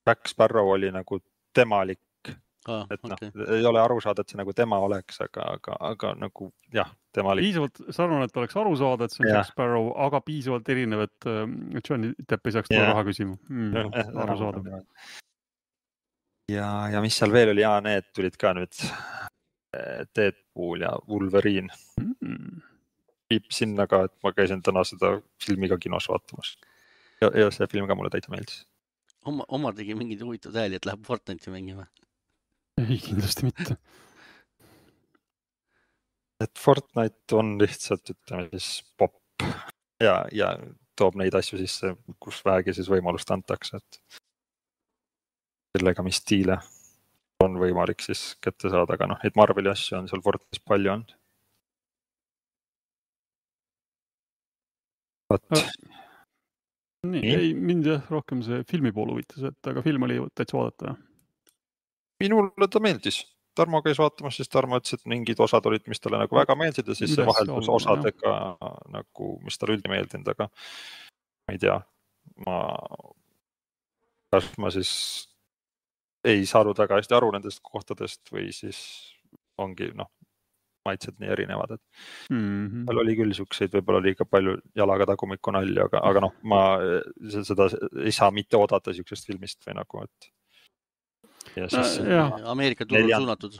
[SPEAKER 3] Jack Sparrow oli nagu temalik, et ei ole aru saada, et see nagu tema oleks, aga nagu jah, temalik.
[SPEAKER 2] Piisavalt sarnane, et oleks aru saada, et see on Jack Sparrow, aga piisavalt erinev, et Johnny Depp ei saaks tulla raha küsima. Aru saada.
[SPEAKER 3] Ja mis seal veel oli? Need tulid ka nüüd Deadpool ja Wolverine. Viib sinna ka, et ma käisin täna seda filmi ka kinos vaatamas. Ja see film ka mulle täitsa meeldis.
[SPEAKER 1] Omar tegi mingid huvitavad hääli, et läheb Fortnite'i mängima?
[SPEAKER 2] Ei, kindlasti mitte.
[SPEAKER 3] Et Fortnite on lihtsalt, ütleme siis pop ja toob neid asju sisse, kus vähegi siis võimalust antakse, et sellega, mis stiile on võimalik siis kätte saada, aga et Marveli asju on seal Fortnite'is palju on.
[SPEAKER 2] Nii, ei mind rohkem see filmi pool huvitas, et aga film oli täitsa vaadata.
[SPEAKER 3] Minule ta meeldis. Tarmo käis vaatamas, siis Tarmo ütles, et mingid osad olid, mis talle nagu väga meeldsid ja siis see vaheldus osadega, nagu, mis talle üldi meeldinud, aga ma ei tea, kas ma siis ei saanud väga hästi aru nendest kohtadest või siis ongi maitsed nii erinevad, et tal oli küll siukseid, võib-olla liiga palju jalaga tagumikku nalja, aga ma seda ei saa mitte oodata siuksest filmist või nagu, et ja siis
[SPEAKER 1] Ameerika turul suunatud.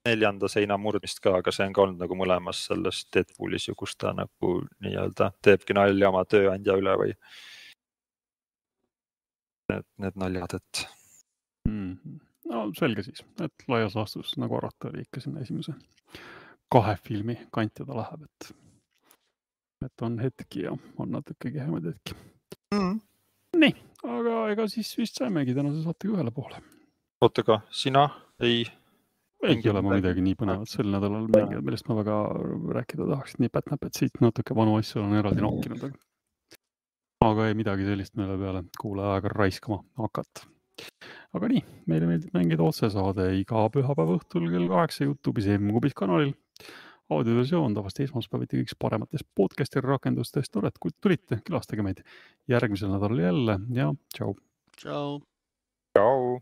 [SPEAKER 3] 4. seina murdmist ka, aga see on ka olnud nagu mõlemas selles Deadpoolis, kus ta nagu nii-öelda teebki nalja oma tööandja üle või need naljad, et
[SPEAKER 2] no selge siis, et laias laastus nagu arvata oli ikka sinna esimese 2 filmi kanti ta läheb, et on hetki ja on natuke kehemad hetki. Nii, aga ega siis vist saimegi tänase saatega ühele poole.
[SPEAKER 3] Ootega, sina ei
[SPEAKER 2] ole ma midagi nii põnevat sel nädalal mängida, millest ma väga rääkida tahaks, nii pätnäpet siit natuke vanu asju on eraldi nokkinud, aga ei midagi sellist meile peale kuule aega raiskama hakata. aga nii, meile meeldib mängida otsesaade iga pühapäeva õhtul kell 8 YouTube'is M-Kubis kanalil. Audioversioon tavasti esmaspäeviti kõiks parematest podcasti rakendustest. Tore, et kui tulite, külastage meid järgmisel nädalal jälle ja tšau.
[SPEAKER 1] Tšau.
[SPEAKER 3] Tšau.